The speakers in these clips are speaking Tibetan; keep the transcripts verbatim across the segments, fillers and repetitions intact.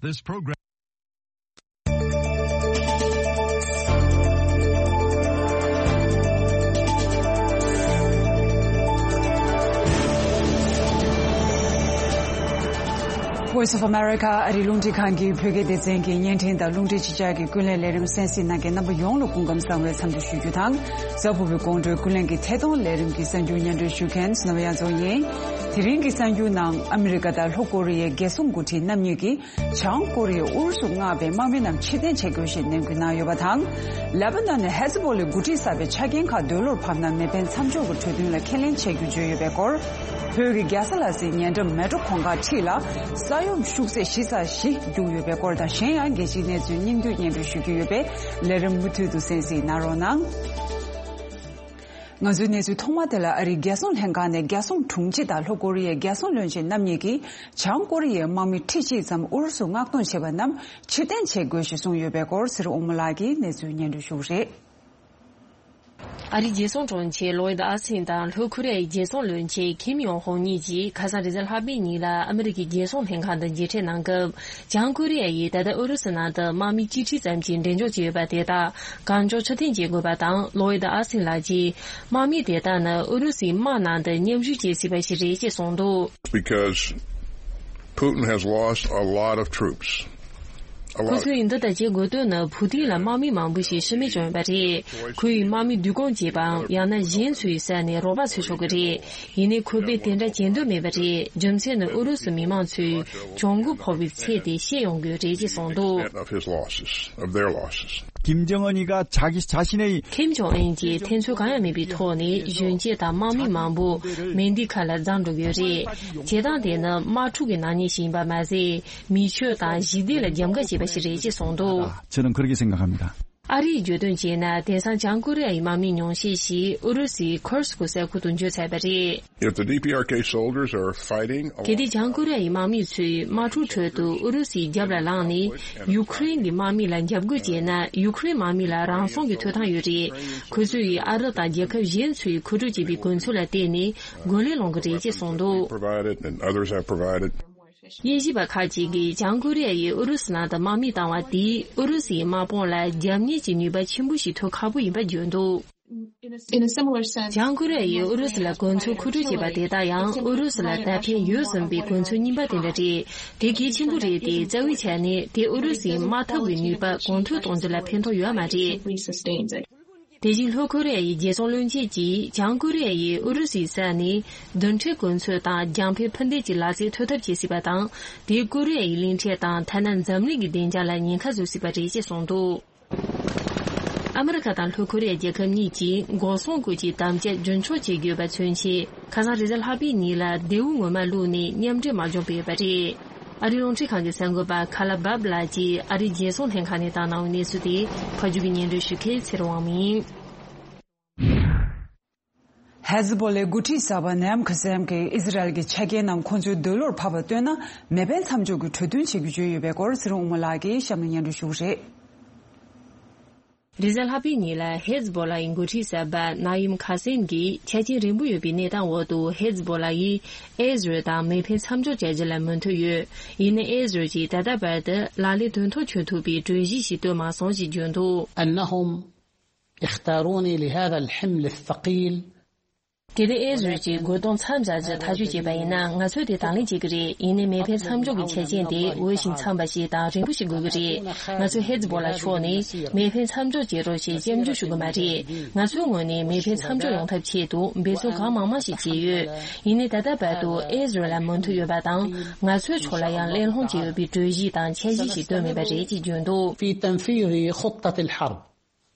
This program Voice of America ཨ་རིའི་རླུང་འཕྲིན་ཁང་གི་བོད་སྐད་སྡེ་ཚན་གྱི་བརྙན་འཕྲིན་དང་རླུང་འཕྲིན་ཕྱི་དྲིལ་གྱི་ཀུན་གླེང་ལས་རིམ་གསན་གཟིགས་གནང་མཁན་རྣམ་པ་ཡོངས་ལ་སྐུ་ཁམས་བཟང་བའི་འཚམས་འདྲི་ཞུ་རྒྱུ་དང་། གཟའ་ཕུར་བུའི་དགོང་དྲོའི་ཀུན་གླེང་གི་ཐད་གཏོང་ལས་རིམ་གྱི་གསར་འགྱུར་སྙན་སྒྲོན་ཞུ་མཁན་སྣང་བ་དབྱངས་འཛོམས་ཡིན། དེ་རིང་གི་གསར་འགྱུར་ནང་ཨ་མི་རི་ཀ་དང་ལྷོ་ཀོ་རི་ཡའི་རྒྱལ་སྲུང་འགོ་ཁྲིད་རྣམ་གཉིས་ཀྱིས། བྱང་ཀོ་རི་ཡས་ཨུ་རུ་སུ་མངགས་པའི་དམག་མི་རྣམས་ཕྱིར་འཐེན་བྱེད་དགོས་ཞེས་ནན་སྐུལ་གནང་ཡོད་པ་དང་། ལེ་པ་ནན་ནས་ཧེ་ཛ་བྷོ་ལའི་འགོ་ཁྲིད་གསར་པའི་ཆ་རྐྱེན་ཁག་འདོད་བློར་ཕབ་ན་མེ་འཕེན་མཚམས་འཇོག་གི་གྲོས་མཐུན་ལ་ཁས་ལེན་བྱེད་རྒྱུ་བརྗོད་ཡོད་པའི་སྐོར། བོད་ཀྱི་རྒྱལ་ས་ལ་སའི་ཉེ་འགྲམ་མལ་གྲོ་གུང་དཀར་འཁྲིས་ལ་ས་ཡོམ་ཤུགས་ཚད་ཞི་རྩ་བཞི་བརྒྱུགས་ཡོད་པའི་སྐོར་དང་གཞན་ཡང་རྒྱལ་སྤྱིའི་གནས་ཚུལ་སྙིང་བསྡུས་སྙན་སྒྲོན་ཞུ་རྒྱུ་ཡོད་པས་ལས་རིམ་མུ་མཐུད་དུ་གསན་གཟིགས་གནང་རོགས་གནང་། ང་ཚོའི་གནས་ཚུལ་ཐོག་མ་དེ་ལ་ཨ་རིའི་རྒྱལ་སྲུང་ལྷན་ཁང་ནས་རྒྱལ་སྲུང་དྲུང་ཆེ་དང་ལྷོ་ཀོ་རི་ཡའི་རྒྱལ་སྲུང་བློན་ཆེན་རྣམ་གཉིས་ཀྱིས་བྱང་ཀོ་རི་ཡའི་དམག་མི་ཁྲི་གཅིག་ཙམ་ཨུ་རུ་སུས་མངགས་གཏོང་བྱས་པ་རྣམས་ཕྱིར་འཐེན་བྱེད་དགོས་ཞེས་གསུངས་ཡོད་པའི་སྐོར་ཚེ་རིང་དབང་མོ་ལགས་ཀྱིས་གནས་ཚུལ་སྙན་སྒྲོན་ཞུ་གི་རེད། ཨ་རིའི་རྒྱལ་སྲུང་དྲུང་ཆེ་ལོ་ཡིད་ཨ་སིན་དང་ལྷོ་ཀོ་རི་ཡའི་རྒྱལ་སྲུང་བློན་ཆེན་ཁིམ་ཡོང་ཧོང་གཉིས་ཀྱིས་ཁ་སང་རེས་གཟའ་ལྷག་པའི་ཉིན་ལ་ཨ་མི་རི་ཀའི་རྒྱལ་སྲུང་ལྷན་ཁང་དང་མཇལ་འཕྲད་གནང་སྐབས། བྱང་ཀོ་རི་ཡ་ཡིས་ད་ལྟ་ཨུ་རུ་སུ་ནང་དུ་དམག་མི་སྤྱི་ཁྲི་ཙམ་གྱི་འགྲེམས་འཇོག་བྱས་ཡོད་པ་དེ་དག་གང་མགྱོགས་ཕྱིར་འཐེན་བྱེད་དགོས་པ་དང་། ལོ་ཡིད་ཨ་སིན་ལགས་ཀྱིས་དམག་མི་དེ་དག་ནི་ཨུ་རུ་སུའི་དམག་ནང་དུ་མཉམ་ཞུགས་བྱེད་སྲིད་པ་ཞིག་རེད་ཅེས་གསུངས་འདུག Because Putin has lost a lot of troops. ཁོ་ཚོས་འདི་ལྟར་བྱེད་དགོས་དོན་ནི་བུ་ཏིན་ལ་དམག་མི་མང་པོ་ཞིག་ཤི་རྨས་བྱུང་ཡོད་པ་རེད། ཁོ་ཡིས་དམག་མི་བསྡུ་སྐོང་བྱས་པའམ་ཡང་ན་གཞན་ཚོའི་ས་ནས་རོགས་པ་འཚོལ་ཆོག་གི་རེད། ཡིན་ནའི་ཁོ་པས་དེ་འདྲ་བྱེད་འདོད་མེད་པ་རེད། རྒྱུ་མཚན་ནི་ཨུ་རུ་སུ་མི་མང་ཚོས་གྱོང་གུན་ཕོག་པའི་ཚད་དེ་ཤེས་ཡོང་དགོས་རེད་ཅེས་གསུངས་འདུག Of his losses, of their losses. ཁིམ་ཇོང་ཨུན་གཉིས་ཀ་ཆ་གི་ཆ་ཤི་ནས། ཁིམ་ཇོང་ཨུན་གྱིས་འཐེན་འཚོལ་གང་ཡང་མེད་པའི་ཐོག་ནས་གཞོན་སྐྱེས་དང་དམག་མི་མང་པོ་མེ་མདའི་ཁ་ལ་འཛེགས་འགྲོ་གི་ཡོད་རེད། བྱེད་སྟངས་དེ་ནི་དམག་འཁྲུག་གི་ནག་ཉེས་ཤིག་ཡིན་པ་མ་ཟད། མི་ཆོས་དང་ཞི་བདེ་ལ་རྒྱབ་འགལ་བྱས་པ་ཞིག་རེད་ཅེས་གསུངས་འདུག 저는 그렇게 생각합니다. ཨ་རིས་བརྗོད་དོན་བྱས་ན། དེང་སང་བྱང་ཀོ་རི་ཡའི་དམག་མིའི་ཉུང་ཤས་ཤིག་ཨུ་རུ་སུའི་ཁུར་སྐུ་ས་ཁུལ་དུ་འབྱོར་ཚར་བ་རེད། If the D P R K soldiers are fighting གལ་ཏེ་བྱང་ཀོ་རི་ཡའི་དམག་མི་ཚོས་དམག་འཁྲུག་ཁྲོད་དུ་ཨུ་རུ་སུའི་རྒྱབ་ལ་ལངས་ནས་ཡུ་ཁུ་རེན་གྱི་དམག་མི་ལ་འཇབ་རྒོལ་བྱས་ན། ཡུ་ཁུ་རེན་དམག་མི་ལ་རང་སྲུང་གི་ཐོབ་ཐང་ཡོད་རེད། ཁོ་ཚོས་ཨ་རི་དང་རྒྱལ་ཁབ་གཞན་ཚོས་མཁོ་སྤྲོད་བྱས་པའི་གོ་མཚོན་ལ་བརྟེན་ནས་རྒོལ་ལན་སློང་གི་རེད་ཅེས་གསུངས་འདུག Provided and others have provided. དབྱིན་ཇི་པ་ཁག་ཅིག་གིས་བྱང་ཀོ་རི་ཡ་ཡིས་ཨུ་རུ་སུ་ནང་དུ་དམག་མི་བཏང་བ་དེས་ཨུ་རུ་སུའི་དམག་དཔུང་ལ་རྒྱབ་གཉེར་གྱི་ནུས་པ་ཆེན་པོ་ཞིག་ཐོབ་ཁག་པོ་ཡིན་པ་བརྗོད་འདུག In a similar sense, བྱང་ཀོ་རི་ཡ་ཡིས་ཨུ་རུ་སུ་ལ་གོ་མཚོན་མཁོ་སྤྲོད་བྱས་པ་དེ་དག་ཡང་ཨུ་རུ་སུ་ལ་ད་ཕན་ཡོད་བཟུང་བའི་གོ་མཚོན་རྙིང་པ་དེ་འདྲ་རེད། དེ་གལ་ཆེན་པོ་རེད་དེ། རྩ་བའི་ཆ་ནས་དེ་ཨུ་རུ་སུའི་དམག་འཐབ་ཀྱི་ནུས་པ་གོང་མཐོར་གཏོང་རྒྱུ་ལ་ཕན་ཐོགས་ཡོད་མ་རེད། དེ་བཞིན་ལྷོ་ཀོ་རི་ཡ་ཡི་རྒྱལ་སྲུང་བློན་ཆེན་གྱིས་བྱང་ཀོ་རི་ཡ་ཡིས་ཨུ་རུ་སུའི་ས་ནས་རྡུལ་ཕྲན་གོ་མཚོན་དང་རྒྱང་འཕེན་འཕུར་མདེལ་གྱི་ལག་རྩལ་ཐོན་ཐབས་བྱེད་སྲིད་པ་དང་། དེས་ཀོ་རི་ཡ་ཡི་གླིང་ཕྲན་དང་ཐ་ན་འཛམ་གླིང་གི་བདེ་འཇགས་ལ་ཉེན་ཁ་བཟོ་སྲིད་པ་རེད་ཅེས་གསུངས་འདུག་ཨ་མི་རི་ཀ་དང་ལྷོ་ཀོ་རི་ཡ་རྒྱལ་ཁབ་གཉིས་ཀྱིས་འགོག་སྲུང་སྐོར་གྱི་དམ་བཅའ་རྒྱུན་འཁྱོངས་བྱེད་དགོས་པ་མཚོན་ཆེད། ཁ་སང་རེས་གཟའ་ལྷག་པའི་ཉིན་ལ་མདེའུ་ངོ་མ་བླུགས་ནས་མཉམ་འབྲེལ་དམག་སྦྱོང་སྤེལ་ཡོད་པ་རེད། ཨ་རིའི་རླུང་འཕྲིན་ཁང་གི་གསར་འགོད་པ་ཁ་ལ་བབ་ལགས་ཀྱིས་ཨ་རིའི་རྒྱལ་སྲུང་ལྷན་ཁང་ནས་བཏང་གནང་བའི་གནས་ཚུལ་དེ་ཕབ་སྒྱུར་གྱིས་སྙན་སྒྲོན་ཞུ་མཁན་ཚེ་རིང་དབང་མོ་ཡིན། ཧེ་ཛ་བྷོ་ལའི་འགོ་ཁྲིད་གསར་པ་ནཱ་ཡིམ་ཁ་སེམ་གྱིས་ཨི་ཟི་རལ་གྱི་ཆ་རྐྱེན་རྣམས་ཁོང་ཚོའི་འདོད་བློར་ཕབ་པ་བཏོན་ན་མེ་འཕེན་མཚམས་འཇོག་གི་གྲོས་མཐུན་བྱེད་རྒྱུ་བརྗོད་ཡོད་པའི་སྐོར་ཚེ་རིང་དབང་མོ་ལགས་ཀྱིས་གཤམ་ལ་སྙན་སྒྲོན་ཞུ་གི་རེད། རེས་གཟའ་ལྷག་པའི་ཉིན་ལ་ཧེ་ཛ་བྷོ་ལ་ཡི་འགོ་ཁྲིད་གསར་པ་ནཱ་ཡིམ་ཁ་སེམ་གྱིས་ཆ་རྐྱེན་རན་པོ་ཡོད་པའི་གནས་སྟངས་འོག་ཏུ་ཧེ་ཛ་བྷོ་ལ་ཡིས་ཨི་ཟི་རལ་དང་མེ་འཕེན་མཚམས་འཇོག་བྱ་རྒྱུ་ལ་མོས་མཐུན་ཡོད། ཡིན་ནའི་ཨི་ཟི་རལ་གྱིས་ད་ལྟ་བར་དུ་ལག་ལེན་དོན་ཐོག་འཁྱོལ་ཐུབ་པའི་གྲོས་གཞི་ཞིག་བཏོན་མ་སོང་ཞེས་བརྗོད་འདུག أنهم اختاروني لهذا الحمل الثقيل. གལ་ཏེ་ཨི་ཟི་རལ་གྱིས་རྒོལ་རྡུང་མཚམས་བཞག་རྒྱུ་ཐག་གཅོད་བྱས་པ་ཡིན་ན། ང་ཚོས་དེ་དང་ལེན་བྱེད་ཀྱི་རེད། ཡིན་ནའི་མེ་འཕེན་མཚམས་འཇོག་གི་ཆ་རྐྱེན་དེ་འོས་ཤིང་འཚམ་པ་ཞིག་དང་རན་པོ་ཞིག་དགོས་ཀྱི་རེད། ང་ཚོས་ཧེ་ཛ་བྷོ་ལ་ཕྱོགས་ནས་མེ་འཕེན་མཚམས་འཇོག་བྱེད་རོགས་ཞེས་སྐྱབས་འཇུག་ཞུ་གི་མ་རེད། ང་ཚོའི་ངོས་ནས་མེ་འཕེན་མཚམས་འཇོག་ཡོང་ཐབས་ཆེད་དུ་འབད་བརྩོན་གང་མང་མང་ཞིག་བྱས་ཡོད། ཡིན་ནའི་ད་ལྟ་བར་དུ་ཨི་ཟི་རལ་ལ་མོས་མཐུན་ཡོད་པ་དང་། ང་ཚོའི་ཕྱོགས་ལ་ཡང་གླེང་སློང་བྱས་ཡོད་པའི་གྲོས་གཞི་དང་འཆར་གཞི་ཞིག་བཏོན་མེད་པ་རེད་ཅེས་བརྗོད་འདུག في تنفيذ خطة الحرب.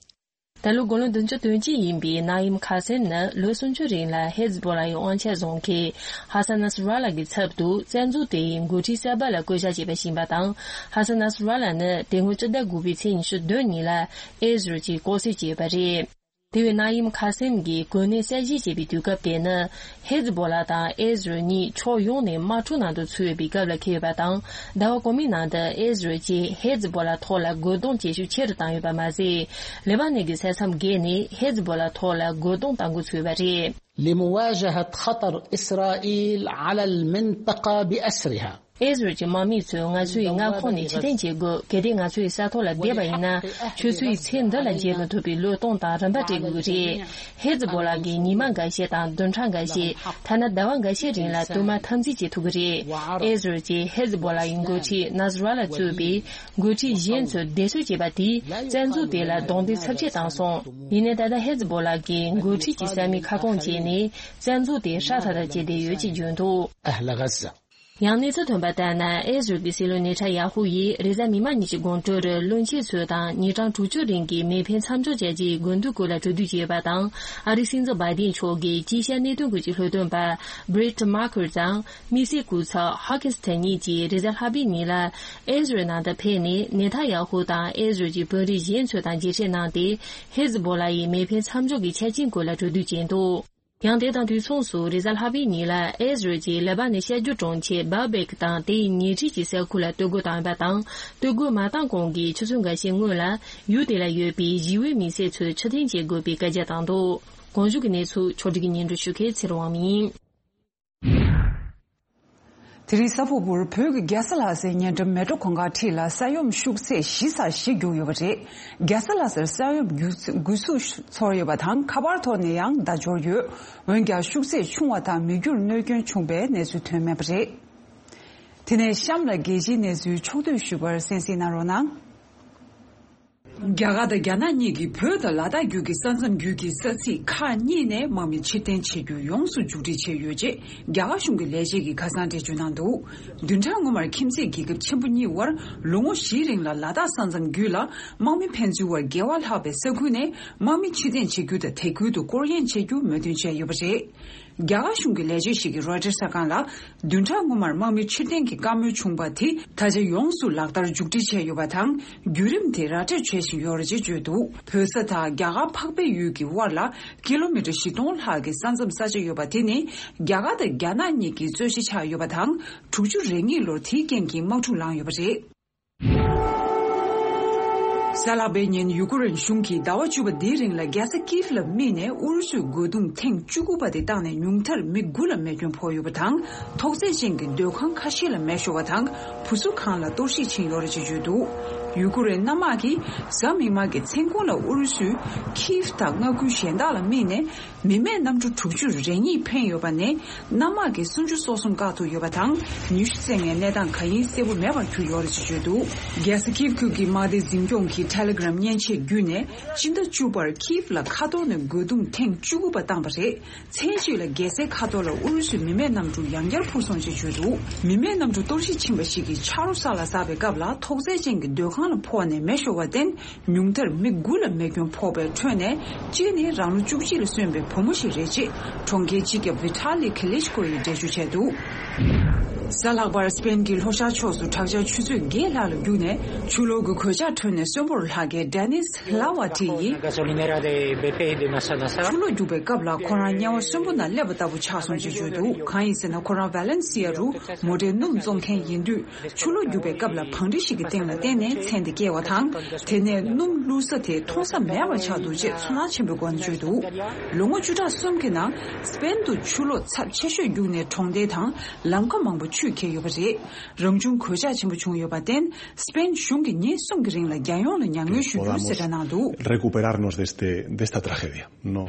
ད་ལོ་འགོ་ལོ་བདུན་ཅུ་དོན་གཅིག་ཡིན་པའི་ནཱ་ཡིམ་ཁ་སེམ་ནི་ལོ་སུམ་ཅུ་རིང་ལ་ཧེ་ཛ་བྷོ་ལ་ཡི་དབང་ཆ་བཟུང་མཁན་ཧ་སན་ནཱ་སི་ར་ལ་གི་ཚབ་ཏུ་བཙན་འཛུལ་དེ་ཡི་འགོ་ཁྲིད་གསར་པ་ལ་བསྐོ་བཞག་བྱས་པ་ཞིག་ཡིན་པ་དང་། ཧ་སན་ནཱ་སི་ར་ལ་ནི་དེ་སྔོན་སྤྱི་ཟླ་དགུ་པའི་ཚེས་ཉི་ཤུ་བདུན་ཉིན་ལ་ཨི་ཟི་རལ་གྱིས་ལྐོག་བསད་བྱས་ཡོད་པ་རེད། དེ་བས་ནཱ་ཡིམ་ཁ་སེམ་གྱིས་གོ་གནས་གསར་བཞེས་བྱས་པའི་དུས་སྐབས་དེ་ནི་ཧེ་ཛ་བྷོ་ལ་དང་ཨི་ཟི་རལ་གཉིས་ཕྱོགས་ཡོངས་ནས་དམག་འཁྲུག་ནང་དུ་ཚུད་ཡོད་པའི་སྐབས་ལ་འཁེལ་ཡོད་པ་དང་། ཟླ་བ་གོང་མའི་ནང་དུ་ཨི་ཟི་རལ་གྱིས་ཧེ་ཛ་བྷོ་ལ་ཐོག་ལ་རྒོལ་རྡུང་བྱེད་ཤུགས་ཆེ་རུ་བཏང་ཡོད་པ་མ་ཟད། ལེ་པ་ནན་གྱི་ས་མཚམས་བརྒལ་ནས་ཧེ་ཛ་བྷོ་ལ་ཐོག་ལ་རྒོལ་རྡུང་གཏང་འགོ་ཚུགས་ཡོད་པ་རེད། لمواجهة خطر إسرائيل على المنطقة بأسرها. ཨེ་ཟི་རལ་གྱི་དམག་མི་ཚོས་ང་ཚོའི་མངའ་ཁོངས་ནས་ཕྱིར་འཐེན་བྱེད་དགོས། གལ་ཏེ་ང་ཚོའི་ས་ཐོག་ལ་བསྡད་པ་ཡིན་ན། ཁྱོད་ཚོའི་ཚེ་འདི་ལ་མཇལ་མི་ཐུབ་པའི་བློས་གཏོང་དང་རིམ་པ་སྤྲད་དགོས་ཀྱི་རེད། ཧེ་ཛི་བྷོ་ལ་གིས་ཉི་མ་འགའ་ཤས་དང་བདུན་ཕྲག་འགའ་ཤས། ཐ་ན་ཟླ་བ་འགའ་ཤས་རིང་ལ་དུ་མ་འཐབ་འཛིང་བྱེད་ཐུབ་ཀྱི་རེད། ཨེ་ཟི་རལ་གྱིས་ཧེ་ཛི་བྷོ་ལ་ཡི་འགོ་ཁྲིད་ནཱ་སི་ར་ལ་གཙོས་པའི་འགོ་ཁྲིད་གཞན་ཚོར་བདེ་གསོད་བྱས་པ་དེས་བཙན་འཛུལ་དེ་ལ་རྡུང་རྡེག་ཚབས་ཆེ་བཏང་སོང་། ཡིན་ནའི་ད་ལྟ་ཧེ་ཛི་བྷོ་ལ་གིས་འགོ་ཁྲིད་ཀྱི་ས་མིག་ཁ་སྐོང་བྱས་ནས་བཙན་འཛུལ་དེ་ཧྲ་ཐག་ཐག་བྱས་བསྡད་ཡོད་ཅེས་བརྗོད་འདུག་ཡང་གནས་ཚུལ་ཐོན་པ་ལྟར་ན། ཨེ་ཟི་རལ་གྱི་སྲིད་བློན་ནེ་ཐན་ཡ་ཧུ་ཡིས་རེས་གཟའ་མིག་དམར་ཉིན་གྱི་དགོང་དྲོར་བློན་ཆེན་ཚོ་དང་ཉིན་གྲངས་དྲུག་ཅུ་རིང་གི་མེ་འཕེན་མཚམས་འཇོག་བྱ་རྒྱུའི་དགོས་འདུན་སྐོར་ལ་གྲོས་བསྡུར་བྱས་པ་དང་། ཨ་རིའི་སྲིད་འཛིན་བྷའི་ཌེན་མཆོག་གིས་དཀྱིལ་ཤར་གནད་དོན་སྐོར་གྱི་སློབ་སྟོན་པ་Brett Markey དང་དམིགས་བསལ་སྐུ་ཚབ་Hawkins དེ་གཉིས་ཀྱིས་རེས་གཟའ་ལྷག་པའི་ཉིན་ལ་ཨེ་ཟི་རལ་ནང་དུ་ཕེབས་ནས། ནེ་ཐན་ཡ་ཧུ་དང་ཨེ་ཟི་རལ་གྱི་དཔོན་རིགས་གཞན་ཚོ་དང་མཇལ་འཕྲད་གནང་སྟེ། ཧེ་ཛི་བྷོ་ལ་ཡི་མེ་འཕེན་མཚམས་འཇོག་གི་ཆ་རྐྱེན་སྐོར་ལ་གྲོས་བསྡུར་བྱས་འདུག་ཡང་དེ་དང་དུས་མཚུངས་སུ། རེས་གཟའ་ལྷག་པའི་ཉིན་ལ་ཨེ་ཟི་རལ་གྱིས་ལེ་པ་ནན་གཤམ་རྒྱུད་གྲོང་ཁྱེར་བྷ་བེག་དང་དེའི་ཉེ་འཁྲིས་ཀྱི་ས་ཁུལ་ལ་གཏོར་རྒོལ་བཏང་ཡོད་པ་དང་། གཏོར་རྒོལ་མ་བཏང་གོང་གི་ཆུ་ཚོད་འགའ་ཤས་སྔོན་ལ་ཡུལ་དེ་ལ་ཡོད་པའི་ཞི་བའི་མི་སེར་ཚོས་ཕྱིར་འཐེན་བྱེད་དགོས་པའི་བཀའ་རྒྱ་བཏང་འདུག་གོང་བཞུགས་ཀྱི་གནས་ཚུལ་ཕྱོགས་སྒྲིག་གིས་སྙན་སྒྲོན་ཞུ་མཁན་ཚེ་རིང་དབང་མོ་ཡིན། དེ་རིང་གཟའ་ཕུར་བུར་བོད་ཀྱི་རྒྱལ་ས་ལྷ་སའི་ཉེ་འགྲམ་མལ་གྲོ་གུང་དཀར་ཁྲིད་ལ་ས་ཡོམ་ཤུགས་ཚད་བཞི་ཙམ་ཞིག་བརྒྱུགས་ཡོད་པ་རེད། རྒྱལ་ས་ལྷ་སར་ས་ཡོམ་རྒྱུག་འགུལ་ཤུགས་ཚོར་ཡོད་པ་དང་། ཁ་པར་ཐོག་ནས་ཡང་བརྡ་འབྱོར་ཡོད། འོན་ཀྱང་ཤུགས་ཚད་ཆུང་བ་དང་མི་རྒྱུར་གནོད་སྐྱོན་བྱུང་བའི་གནས་ཚུལ་ཐོན་མེད་པ་རེད། དེ་ནས་གཤམ་ལ་རྒྱལ་སྤྱིའི་གནས་ཚུལ་ཕྱོགས་བསྡུས་ཞུས་པར་གསན་གཟིགས་གནང་རོགས་གནང་། རྒྱ་གར་དང་རྒྱ་ནག་གཉིས་ཀྱིས་བོད་དང་ལ་དྭགས་བརྒྱུད་ཀྱི་ས་མཚམས་བརྒྱུད་ཀྱི་ས་ཚིགས་ཁག་གཉིས་ནས་དམག་མི་ཕྱིར་འཐེན་བྱེད་རྒྱུ་ཡོངས་སུ་མཇུག་སྒྲིལ་བྱས་ཡོད་ཅེས་རྒྱ་གར་གཞུང་གི་ལས་བྱེད་ཀྱིས་ཁ་སང་འགྲེལ་བརྗོད་གནང་འདུག་བདུན་ཕྲག་སྔོན་མར་ཁྱིམ་མཚེས་རྒྱལ་ཁབ་ཆེན་པོ་གཉིས་དབར་ལོ་ངོ་བཞིའི་རིང་ལ་ལ་དྭགས་ས་མཚམས་བརྒྱུད་ལ་དམག་མི་ཕན་ཚུན་དབར་འགལ་བ་ལྷག་པའི་ས་ཁུལ་ནས་དམག་མི་ཕྱིར་འཐེན་བྱེད་རྒྱུ་དང་། དེ་ཁུལ་དུ་སྐོར་གཡེང་བྱེད་རྒྱུ་མོས་མཐུན་བྱས་ཡོད་པ་རེད། རྒྱ་གར་གཞུང་གི་ལས་བྱེད་ཞིག་གིས་རོའི་ཊར་གསར་ཁང་ལ། བདུན་ཕྲག་སྔོན་མར་དམག་མི་ཕྱིར་འཐེན་གྱི་བཀའ་མོལ་བྱུང་བ་དེ་ད་ཆ་ཡོངས་སུ་ལག་བསྟར་མཇུག་སྒྲིལ་བྱས་ཡོད་པ་དང་། བརྒྱུད་རིམ་དེ་ར་སྤྲོད་བྱེད་བཞིན་ཡོད་རེད་ཅེས་བརྗོད་འདུག་བོད་ས་དང་རྒྱ་གར་འཕགས་པའི་ཡུལ་གྱི་དབར་ལ་ཀི་ལོ་མི་ཊར་བཞི་སྟོང་ལྷག་གི་ས་མཚམས་ས་ཆ་ཡོད་པ་དེ་ནི་རྒྱ་གར་དང་རྒྱ་ནག་གཉིས་ཀྱི་རྩོད་གཞི་ཆགས་ཡོད་པ་དང་། དྲུག་ཅུ་རེ་གཉིས་ལོར་དེའི་རྐྱེན་གྱིས་དམག་འཁྲུག་ལངས་ཡོད་པ་རེད། གཟའ་ལྷག་པའི་ཉིན་ཡུ་ཀེ་རེན་གཞུང་གིས་ཟླ་བ་བཅུ་པ་འདིའི་རིང་ལ་རྒྱལ་ས་ཀིབ་ལ་དམིགས་ནས་ཨུ་རུ་སུའི་རྒོལ་རྡུང་ཐེངས་བཅུ་དགུ་པ་དེ་བཏང་ནས་ཉུང་མཐར་མི་དགུ་ལ་རྨས་སྐྱོན་ཕོག་ཡོད་པ་དང་། ཐོག་བརྩེགས་ཅན་གྱི་སྡོད་ཁང་ཁ་ཤས་ལ་མེ་ཤོར་བ་དང་། བུ་གསོ་ཁང་ལ་གཏོར་བཤིག་ཕྱིན་ཡོད་རེད་ཅེས་བརྗོད་འདུག་ཡུ་ཀེ་རེན་གནམ་དམག་གིས་གཟའ་མིག་དམར་གྱི་མཚན་གུང་ལ་ཨུ་རུ་སུས་ཀིབ་དང་མངའ་ཁུལ་གཞན་དག་ལ་དམིགས་ནས། མི་མེད་གནམ་གྲུ་དྲུག་ཅུ་རེ་གཉིས་འཕེན་ཡོད་པ་ནས། གནམ་དམག་གིས་སུམ་ཅུ་སོ་གསུམ་བཀག་ཐུབ་ཡོད་པ་དང་། ཉི་ཤུ་རྩ་ལྔའི་གནས་སྟངས་གང་ཡིན་གསལ་པོ་མེད་པར་གྱུར་ཡོད་རེད་ཅེས་བརྗོད་འདུག་རྒྱལ་ས་ཀིབ་ཁུལ་གྱི་དམག་སྡེ་འཛིན་སྐྱོང་གིས་ཊེ་ལེ་གྷི་རམ་མཉེན་ཆས་བརྒྱུད་ནས། སྤྱི་ཟླ་བཅུ་པར་ཀིབ་ལ་མཁའ་ཐོག་ནས་རྒོལ་རྡུང་ཐེངས་བཅུ་དགུ་པ་བཏང་བ་རེད། མཚན་གཅིག་ལ་རྒྱལ་སའི་མཁའ་ཐོག་ལ་ཨུ་རུ་སུའི་མི་མེད་གནམ་གྲུ་ཡང་བསྐྱར་འཕུར་སོང་ཅེས་བརྗོད་འདུག་མི་མེད་གནམ་གྲུ་གཏོར་བཤིག་ཕྱིན་པ་ཞིག་གིས་ཆ་རོགས་ས་ལ་ཟགས་པའི་སྐབས་ལ། ཐོག་བརྩེགས་ཅན་གྱི་སྡོད་ཁང་ལ་ཕོག་ནས་མེ་ཤོར་བར་བརྟེན། ཉུང་མཐར་མི་དགུ་ལ་རྨས་སྐྱོན་ཕོག་པའི་ཁྲོད་ནས་གཅིག་ནི་རང་ལོ་བཅུ་གཅིག་ལ་སོན་པའི་བུ་མོ་ཞིག་རེད་ཅེས་གྲོང་ཁྱེར་སྤྱི་ཁྱབ་ཝི་ཐ་ལི་ཁི་ལིཆ་ཀོ་ཡིས་འགྲེལ་བརྗོད་བྱས་འདུག་གཟའ་ལྷག་པར་སི་པེན་གྱི་ལྷོ་ཤར་ཕྱོགས་སུ་དྲག་ཆར་ཆུ་ཚོད་བརྒྱད་ལྷག་ལ་རྒྱུག་ནས་ཆུ་ལོག་གི་གོད་ཆག་ཁྲོད་ནས་གསོན་པོར་ལྷག་མཁན་ཌེ་ནིས་ལ་ཝ་ཏི་ཡིས། Gasolinera de B P de Massanassa། ཆུ་ལོག་རྒྱུག་པའི་སྐབས་ལ་ཁོ་རང་དམྱལ་བ་གསོན་པོ་ནང་སླེབས་པ་ལྟ་བུ་ཆགས་སོང་ཅེས་བརྗོད་འདུག་གང་ཡིན་ཟེར་ན། ཁོ་རང་ཝ་ལེན་སི་ཡ་རུ་མོ་ཊའི་སྣུམ་བཙོང་མཁན་ཡིན་དུས། ཆུ་ལོག་རྒྱུག་པའི་སྐབས་ལ་བང་རི་ཞིག་གི་སྟེང་ལ་བརྟེན་ནས་ཚན་དེ་བསྐྱལ་བ་དང་། དེ་ནས་སྣུམ་བླུགས་ས་དེ་མཐོང་ས་མེད་པ་ཆགས་འདུག་ཅེས་ཚོར་སྣང་ཆེན་པོའི་སྒོ་ནས་བརྗོད་འདུག་ལོ་ངོ་བཅུ་ཕྲག་གསུམ་གྱི་ནང་སི་པེན་དུ་ཆུ་ལོག་ཚབས་ཆེ་ཤོས་རྒྱུག་ནས་གྲོང་སྡེ་དང་ལམ་ཁ་མང་པོ་ཆུས་ཁྱེར་ཡོད་པ་རེད། རང་བྱུང་གོད་ཆག་ཆེན་པོ་བྱུང་ཡོད་པར་བརྟེན། སི་པེན་གཞུང་གིས་ཉིན་གསུམ་གྱི་རིང་ལ་རྒྱལ་ཡོངས་ལ་མྱ་ངན་ཞུ་རྒྱུ་གསལ་བསྒྲགས་གནང་འདུག recuperarnos de este, de esta tragedia. No.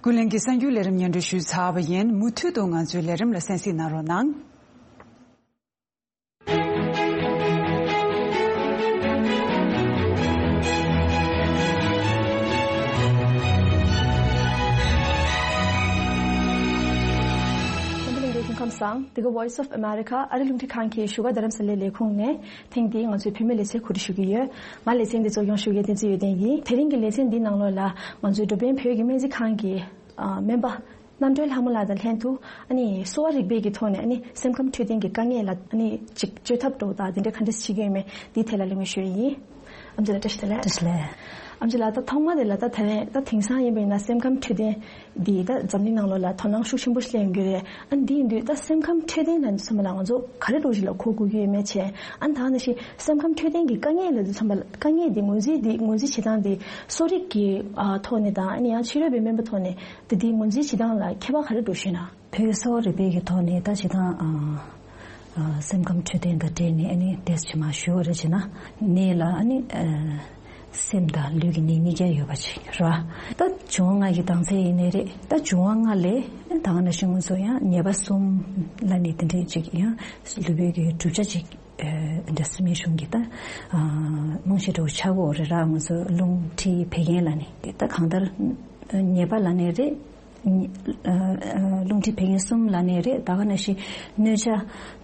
ཀུན་གླེང་གི་གསར་འགྱུར་ལས་རིམ་སྙན་སྒྲོན་ཞུས་ཚར་བ་ཡིན། མུ་མཐུད་དུ་ང་ཚོའི་ལས་རིམ་ལ་གསན་གཟིགས་གནང་རོགས་གནང་། འདི་ག་Voice of America ཨ་རི་རླུང་འཕྲིན་ཁང་གི་བཞུགས་སྒར་རྡ་རམ་ས་ལའི་ལས་ཁུངས་ནས། ཐེངས་འདིའི་ང་ཚོའི་བོད་མིའི་ལེ་ཚན་གོ་སྒྲིག་ཞུ་གི་ཡོད། ང་ལེ་ཚན་འདི་གཙོ་སྐྱོང་ཞུ་མཁན་བསྟན་འཛིན་ཡོན་ཏན་ཡིན། དེ་རིང་གི་ལེ་ཚན་འདིའི་ནང་ལོགས་ལ་ང་ཚོའི་འགྲོ་ཕན་བོད་ཀྱི་སྨན་རྩིས་ཁང་གི་ཨ་སྨན་པ་རྣམ་གྲོལ་ལྷ་མོ་ལགས་དང་ལྷན་དུ། ཨ་ནི་གསོ་བ་རིག་པའི་གི་ཐོག་ནས། ཨ་ནི་སེམས་ཁམས་འཕྲོད་བསྟེན་གྱི་དཀའ་ངལ་ལ། ཨ་ནི་ཅིག་བཅོས་ཐབས་འདྲ་བོ་དང་དེ་འདྲ་ག་འདྲས་བྱེད་ཀྱི་ཡོད་མེད་འདིའི་ཐད་ལ་གླེང་མོལ་ཞུ་ཡི་ཡིན། ཨམ་ཅི་ལགས་བཀྲ་ཤིས་བདེ་ལེགས། བཀྲ་ཤིས་བདེ་ལེགས། ཨམ་ཅི་ལགས། ད་ཐོག་མ་དེ་ལ། ད་དེ་རིང་ད་དེང་སང་ཡིན་པ་ཡིན་ན་སེམས་ཁམས་འཕྲོད་བསྟེན་འདི་ད་འཛམ་གླིང་ནང་ལོགས་ལ་དོ་སྣང་ཤུགས་ཆེན་པོ་ཞིག་སླེབས་ཡོང་གི་རེད། ཨ་ནི་འདི་ཡིན་དུས་ད་སེམས་ཁམས་འཕྲོད་བསྟེན་ལ་ཚང་མ་ལ་ང་ཚོ་ག་རེ་འདྲ་བོ་ཞིག་ལ་གོ་དགོས་ཀྱི་ཡོད་མེད་བྱས། ཨ་ནི་ད་ནང་བཞིན་སེམས་ཁམས་འཕྲོད་བསྟེན་གྱི་དཀའ་ངལ་ལ་ཚང་མ་ལ། དཀའ་ངལ་འདི་ངོས་འཛིན་འདི་ངོས་འཛིན་བྱེད་སྟངས་འདི་གསོ་རིག་གི་ཨ་ཐོག་ནས་དང་། ཨ་ནི་ཡང་ཕྱི་རོལ་པའི་སྨན་པའི་ཐོག་ནས་འདི་འདི་ངོས་འཛིན་བྱེད་སྟངས་ལ་ཁྱད་པར་ག་རེ་འདྲ་བོ་ཞིག་ཡོད་ན། བོད་གསོ་བ་རིག་པའི་གི་ཐོག་ནས་ད་བྱེད་སྟངས་ཨ། སེམས་ཁམས་འཕྲོད་བསྟེན་དང་འབྲེལ་ནས་ཨ་ནི་ཏོག་ཙམ་མར་ཞུ་བ་རེད་བྱས་ན། ནད་ལ་ཨ་ནི་སེམས་དང་ལུས་ཀྱི་ནད་གཉིས་ཀ་ཡོད་པ་ཅིག་རེད་བ། ད་འབྱུང་བ་ལྔ་གི་ལྡང་ཚད་ཡིན་ནའི་རེད། ད་འབྱུང་བ་ལྔ་ལས་ད་ག་ནང་བཞིན་ང་ཚོ་ཡང་ཉེས་པ་གསུམ་ལབ་ནས་དེ་འདྲས་ཅིག་ཡང་ལུས་པོའི་གི་གྲུབ་ཆ་ཅིག་ཨ་འདྲ་སེམས་ཤུགས་ཀྱི་ད་རྨང་གཞི་འདྲ་བོ་ཆགས་ཀྱི་ཡོད་རེད་ར། ང་ཚོ་རླུང་མཁྲིས་བད་ཀན་ལབ་ནས་དེ་ད་གང་ལྟར་ཉེས་པ་ལབ་ནའི་རེད། རླུང་མཁྲིས་བད་ཀན་གསུམ་ལབ་ནའི་རེད། ད་ག་ནང་བཞིན་གནོད་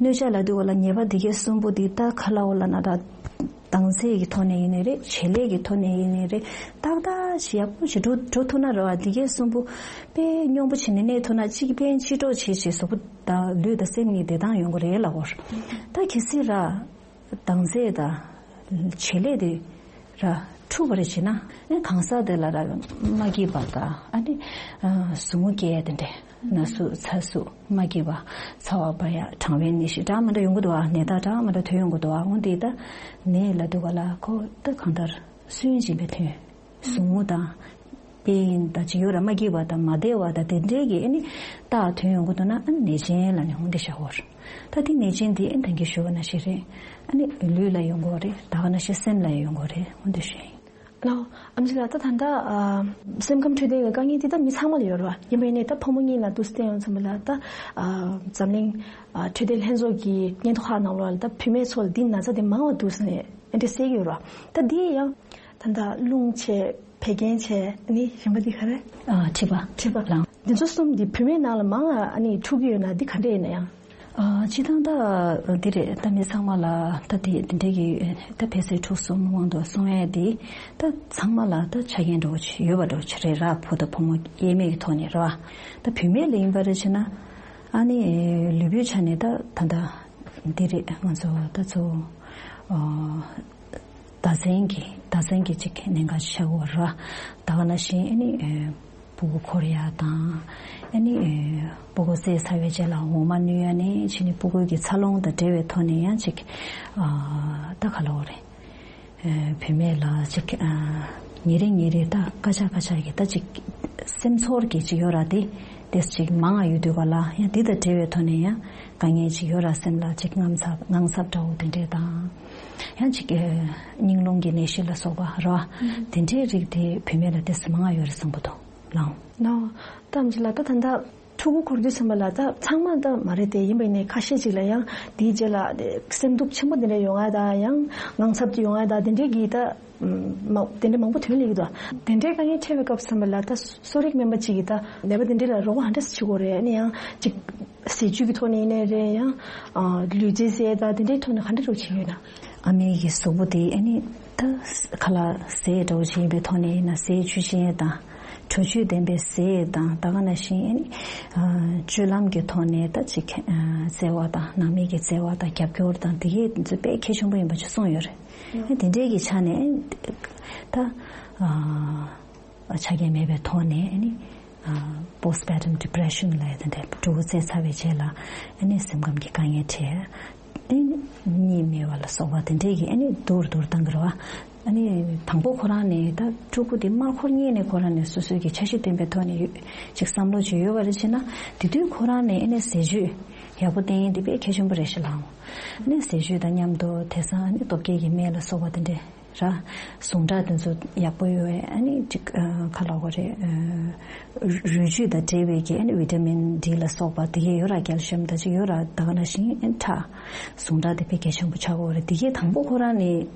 བྱ། གནོད་བྱ་ལབ་དུས་ལ་ཉེས་པ་འདི་གའི་གསུམ་པོ་འདི་ད་ག་ལབ་དགོས་ལབ་ན། ད་ལྡང་ཚད་ཀྱི་ཐོག་ནས་ཡིན་ནའི་རེད། བྱེད་ལས་ཀྱི་ཐོག་ནས་ཡིན་ནའི་རེད། ཏག་ཏག་ཅིག་ཡག་པོ་ཞིག་འགྲོ་འགྲོ་ཐུབ་ན་རེད་བ། འདི་གའི་གསུམ་པོ་དཔེ་སྙོམས་པོ་བྱས་ནས་གནས་ཐུབ་ན། གཅིག་ཕན་གཅིག་གྲོགས་བྱེད་བྱེད་གཟུགས་པོ་དང་ལུས་དང་སེམས་གཉིས་བདེ་ཐང་ཡོང་གི་རེད་ལབ་དགོས། ད་གལ་སྲིད་ར་ལྡང་ཚད་དང་བྱེད་ལས་དེ་ར་འཁྲུག་པ་རེ་བྱེད་ན། ཨ་གང་ཟག་དེ་ལ་ར་མ་སྐྱིད་པ་དང་ཨ་ནི་ཟུག་རྔུ་སྐྱེ་ཡ་དེ་འདྲས། ན་ཟུག་ཚ་ཟུག་མ་སྐྱིད་པ། ཚ་བ་འབར་ཡ། གྲང་བའི་ནད་གཞི་འདྲ་མི་འདྲ་ཡོང་གི་འདུག་བ། ནད་རྟགས་འདྲ་མི་འདྲ་ཐོན་ཡོང་གི་འདུག་བ། འོ་འདི་ད་ནད་ལབ་དུས་ལ་ཁོ་ད་གང་ལྟར་སུན་འབྱིན་པའི་དོན། ཟུག་རྔུ་དང་། དཔེ་ཡིན་ད་ཅིག་ཡོད་ར། མ་སྐྱིད་པ་དང་མ་བདེ་བ་དང་དེ་འདྲའི་གི་ཨ་ནི་རྟགས་ཐོན་ཡོང་གི་འདུག་ན། ཨ་ནི་ནད་ཅན་ལབ་ནས་འོ་འདི་བཞག་དགོས་རེད། ད་དེ་ནད་ཅན་དེ་ཨ་ནི་ད་གིན་ཞུས་པ་ནང་བཞིན་རེད། ཨ་ནི་ལུས་ལ་ཡོང་གི་རེད། ད་ག་ནང་བཞིན་སེམས་ལ་ཡོང་གི་རེད། འོ་འདི་ཞུ་ཡ་ཡིན། ལགས། ཨེམ་ཆི་ལགས། ད་ད་ལྟ་ཨ་སེམས་ཁམས་འཕྲོད་བསྟེན་གྱི་དཀའ་ངལ་དེ་ད་མི་ཚང་མ་ལ་ཡོད་རེད་བ། ཡིན་པ་ཡིན་ནའི་ད་ཕོ་མོ་གཉིས་ལ་འདུག་སེ་བལྟས་ཡོང་ཙམ་པ་ལ་ད་ཨ་འཛམ་གླིང་ཨ་འཕྲོད་བསྟེན་ལྷན་ཚོགས་ཀྱི་སྙན་ཐོ་ཁག་ནང་ལོགས་ལ་ད་བུད་མེད་ཚོ་ལ་འདི་ན་ཚ་དེ་མང་བ་འདུག་ཟེར་ནས་ཨེ་འདྲ་གསལ་གྱི་ཡོད་རེད་བ། ད་འདི་ཡང་ད་ལྟ་རླུང་བྱས། བད་ཀན་བྱས། ཨ་ནི་གཞན་པ་འདི་ག་རེ། ཨ་མཁྲིས་པ། མཁྲིས་པ་ལགས། འདི་ཚོ་གསུམ་འདི་བུད་མེད་ནང་ལ་མང་ང་ཨ་ནི་འཁྲུག་གི་ཡོད་ན་འདི་ག་འདྲ་ཡིན་ན་ཡང་། ཨ་སྤྱིར་བཏང་ད་འདི་རེད། ད་མི་ཚང་མ་ལ་ད་དེ་འདི་འདྲའི་གི་ད་འཕེལ་ཟད་འཁྲུག་གསུམ་དབང་དུ་སོང་ཡས་དེ་ད་ཚང་མ་ལ་ད་ཆ་རྐྱེན་འདྲ་བོ་ཅིག་ཡོད་པ་འདྲ་བོ་ཅིག་རེད་ར། བུ་དང་བུ་མོ་དབྱེར་མེད་ཀྱི་ཐོག་ནས་རེད་བ། ད་བུད་མེད་ལ་ཡིན་པ་རེད་བྱས་ན་ཨ་ནི་ལུས་པོའི་ཆ་ནས་ད་ད་ད་འདི་རེད། ང་ཚོ་ད་ཚོ་ཨ། ཟླ་མཚན་གྱི་ཟླ་མཚན་གྱི་ཅིག་གནད་འགག་ཆགས་ཀྱི་ཡོད་རེད་བ། ད་ག་ནང་བཞིན་ཨ་ནི་ཨེ་སྤུ་གུ་འཁོར་ཡ་དང་། ཨ་ནི་ཨེ་སྤུ་གུ་བཙས་ཚར་བའི་རྗེས་ལ་འོ་མ་སྣུན་ཡ་ནས་ཕྱིན་ནས་སྤུ་གུ་གི་འཚར་ལོངས་དང་འབྲེལ་བའི་ཐོག་ནས་ཡང་ཅིག་ཨ་ད་ག་ལབ་དགོས་རེད། ཨེ་བུད་མེད་ལ་ཅིག་ཨ་ཉིན་རེ་ཉིན་རེ་ད་སྐད་ཆ་སྐད་ཆ་གི་ད་ཅིག་སེམས་ཚོར་གྱི་ཅིག་ཡོད་ར། དེ་དེ་ཅིག་མང་ང་ཡོད་དུས་ག་ལ་ཡང་འདི་དང་འབྲེལ་བའི་ཐོག་ནས་ཡང་དཀའ་ངལ་ཅིག་ཡོད་ར། སེམས་ལ་ཅིག་དངངས་འཚབ་དངངས་འཚབ་འདྲ་བོ་དེ་འདྲས་དང་། ཡང་ཅིག་ཨེ་སྙིང་རླུང་གི་ནད་གཞི་ལ་སོགས་པ་རེད་བ། དེ་འདྲའི་རིགས་དེ་བུད་མེད་ལ་ཏོག་ཙམ་མང་ང་ཡོད་རེད་བསམ་གྱི་འདུག་ལགས། ལགས། ད་ཨེམ་ཆི་ལགས། ད་ད་ལྟ་ཕྲུ་གུ་འཁོར་དུས་ཙམ་པ་ལ་ད་ཚང་མ་ད་མ་རེད་དེ། ཡིན་པ་ཡིན་ནའི་ཁ་ཤས་ཅིག་ལ་ཡང་དེའི་རྗེས་ལ་སེམས་སྡུག་ཆེན་པོ་དེ་འདྲ་ཡོང་ཡ་ད་ཡང་དངངས་འཚབ་ཅིག་ཡོང་ཡ་ད་དེ་འདྲའི་གི་ད་མ་དེ་འདྲ་མང་པོ་ཐོན་སླེབས་ཀྱི་འདུག་དེ་འདྲའི་དཀའ་ངལ་འཕྲད་པའི་སྐབས་ཙམ་པ་ལ་ད་གསོ་རིག་སྨན་པ་ཅིག་གིས་ད་ནད་པ་དེ་འདྲ་ལ་རོགས་པ་ག་འདྲ་སེ་བྱེད་དགོས་རེད། ཨ་ནི་ཡང་ཅིག་ཟས་བཅུད་ཀྱི་ཐོག་ནས་ཡིན་ནའི་རེད། ཡང་ཨ་ལུས་རྩལ་ཟས་དང་དེ་འདྲའི་ཐོག་ནས་ག་འདྲ་རོགས་བྱེད་ཀྱི་ཡོད་ན། ཨ་མའི་གི་གཟུགས་པོ་དེ་ཨ་ནི་ད་ཁ་ལག་ཟས་འདྲ་བོ་ཅིག་ཡིན་པའི་ཐོག་ནས་ཡིན་ན་ཟས་བཅུད་ཅན་དང་། དྲོད་བཅུད་ལྡན་པའི་ཟས་དང་། ད་ག་ནང་བཞིན་ཨ་ནི་ཨ་སྤྱོད་ལམ་གྱི་ཐོག་ནས་ད་ཅིག་ཨ་བརྩེ་བ་དང་ནང་མི་གི་བརྩེ་བ་དང་རྒྱབ་སྐྱོར་དང་དེ་གས་དེ་ཚོ་དཔེ་གལ་ཆེན་པོ་ཡིན་པ་ཅིག་གསུངས་ཡོད་རེད། ཨ་དེ་འདྲའི་གི་ཆ་ནས་ད་ཨ་ཆ་རྐྱེན་མེད་པའི་ཐོག་ནས་ཨ་ནི་ཨ་postpartum depression ལབ་ཡ་དེ་འདྲ། ཕྲུ་གུ་བཙས་ཚར་བའི་རྗེས་ལ་ཨ་ནི་སེམས་ཁམས་ཀྱི་དཀའ་ངལ་འཕྲད། ཨ་ནི་གཉིད་མེད་པ་ལ་སོགས་པ་དེ་འདྲའི་གི་ཨ་ནི་སྡུག་རུ་སྡུག་རུ་བཏང་གི་རེད་བ། ཨ་ནི་དང་པོ་ཁོ་རང་ནས་ད་ཕྲུ་གུ་དེ་མར་འཁོར་སྔོན་ནས་ཁོ་རང་ནས་སོ་སོའི་གི་འཆར་གཞི་བཏིང་པའི་ཐོག་ནས་ཡོད་ཅིག་བསམ་བློ་ཅིག་ཡོད་པ་རེད་བྱས་ན། དེ་དུས་ཁོ་རང་ནས་ཨ་ནི་ཟས་བཅུད་ཡག་པོ་བསྟེན་ཡས་དེ་དཔེ་གལ་ཆེན་པོ་རེད་ཤག་ལགས། ཨ་ནི་ཟས་བཅུད་དང་མཉམ་དུ་དེང་སང་ཨ་ནི་སྟོབས་སྐྱེད་ཀྱི་སྨན་ལ་སོགས་པ་དེ་འདྲ་ར། ཟུངས་ཁྲག་དེ་ཚོ་ཡག་པོ་ཡོད་པའི་ཨ་ནི་ཅིག་ཨ་ག་ལབ་དགོས་རེད། ཨ་རུས་རུས་བཅུད་དང་འབྲེལ་བའི་གི་ཨ་ནི་ཝི་ཊ་མིན་ཌི་ལ་སོགས་པ་དེ་གས་ཡོད་ར། calcium དང་ཅིག་ཡོད་ར། ད་ག་ནང་བཞིན་ཨ་ནི་ཁྲག་ཟུངས་ཁྲག་དེ་དཔེ་གལ་ཆེན་པོ་ཆགས་ཀྱི་ཡོད་རེད། དེ་གས་དང་པོ་ཁོ་རང་ནས་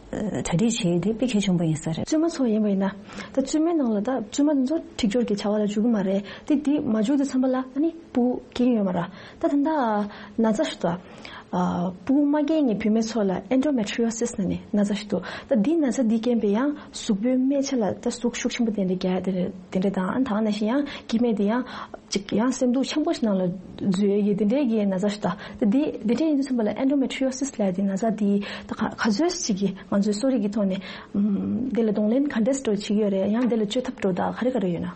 གྲ་སྒྲིག་བྱེད་ཡས་དེ་དཔེ་གལ་ཆེན་པོ་ཡིན་ས་རེད། བཙུན་མ་ཚོ་ཡིན་པ་ཡིན་ན། ད་བཙུན་མའི་ནང་ལ་ད་བཙུན་མ་དེ་ཚོ་འཁྲིག་སྦྱོར་གྱི་བྱ་བ་ལ་འཇུག་གི་མ་རེད་དེ། དེ་མ་འཇུག་དུས་ཙམ་པ་ལ་ཨ་ནི་སྤུ་གུ་སྐྱེ་གི་ཡོད་མ་རེད། ད་ད་ལྟ་ན་ཚ་ཞིག་འདུག་ཨ་སྤུ་གུ་མ་སྐྱེ་མཁན་བུད་མེད་ཚོ་ལ་endometriosis ལབ་ནས་ན་ཚ་ཞིག་འདུག་ད་འདི་ན་ཚ་འདི་རྐྱེན་པས་ཡང་གཟུགས་པོའི་སྨད་ཆ་ལ་ད་ཟུག་ཤུགས་ཆེན་པོ་དེ་འདྲ་རྒྱག་ཡ་དེ་འདྲ་དང་། ཨ་ནི་ད་ག་ནང་བཞིན་ཡང་སྐྱེ་དམན་དེ་ཡང་ཅིག་ཡང་སེམས་སྡུག་ཆེན་པོ་ཞིག་ནང་ལ་འཛུལ་ཡས་ཀྱི་དེ་འདྲའི་གི་ན་ཚ་ཞིག་ད། ད་དེ་དེ་འདྲ་ཡིན་དུས་ཙམ་པ་ལ་endometriosis ལབ་ཡ་དེ་ན་ཚ་དེ་ད་ག་ག་ཚོད་ཅིག་གི་ང་ཚོའི་གསོ་རིག་གི་ཐོག་ནས་ཨམ་དེ་ལ་གདོང་ལེན་ག་འདྲས་འདྲ་བྱེད་ཀྱི་ཡོད་རེད། ཡང་དེ་ལ་བཅོས་ཐབས་འདྲ་ད་ག་རེ་ག་རེ་ཡོད་ན།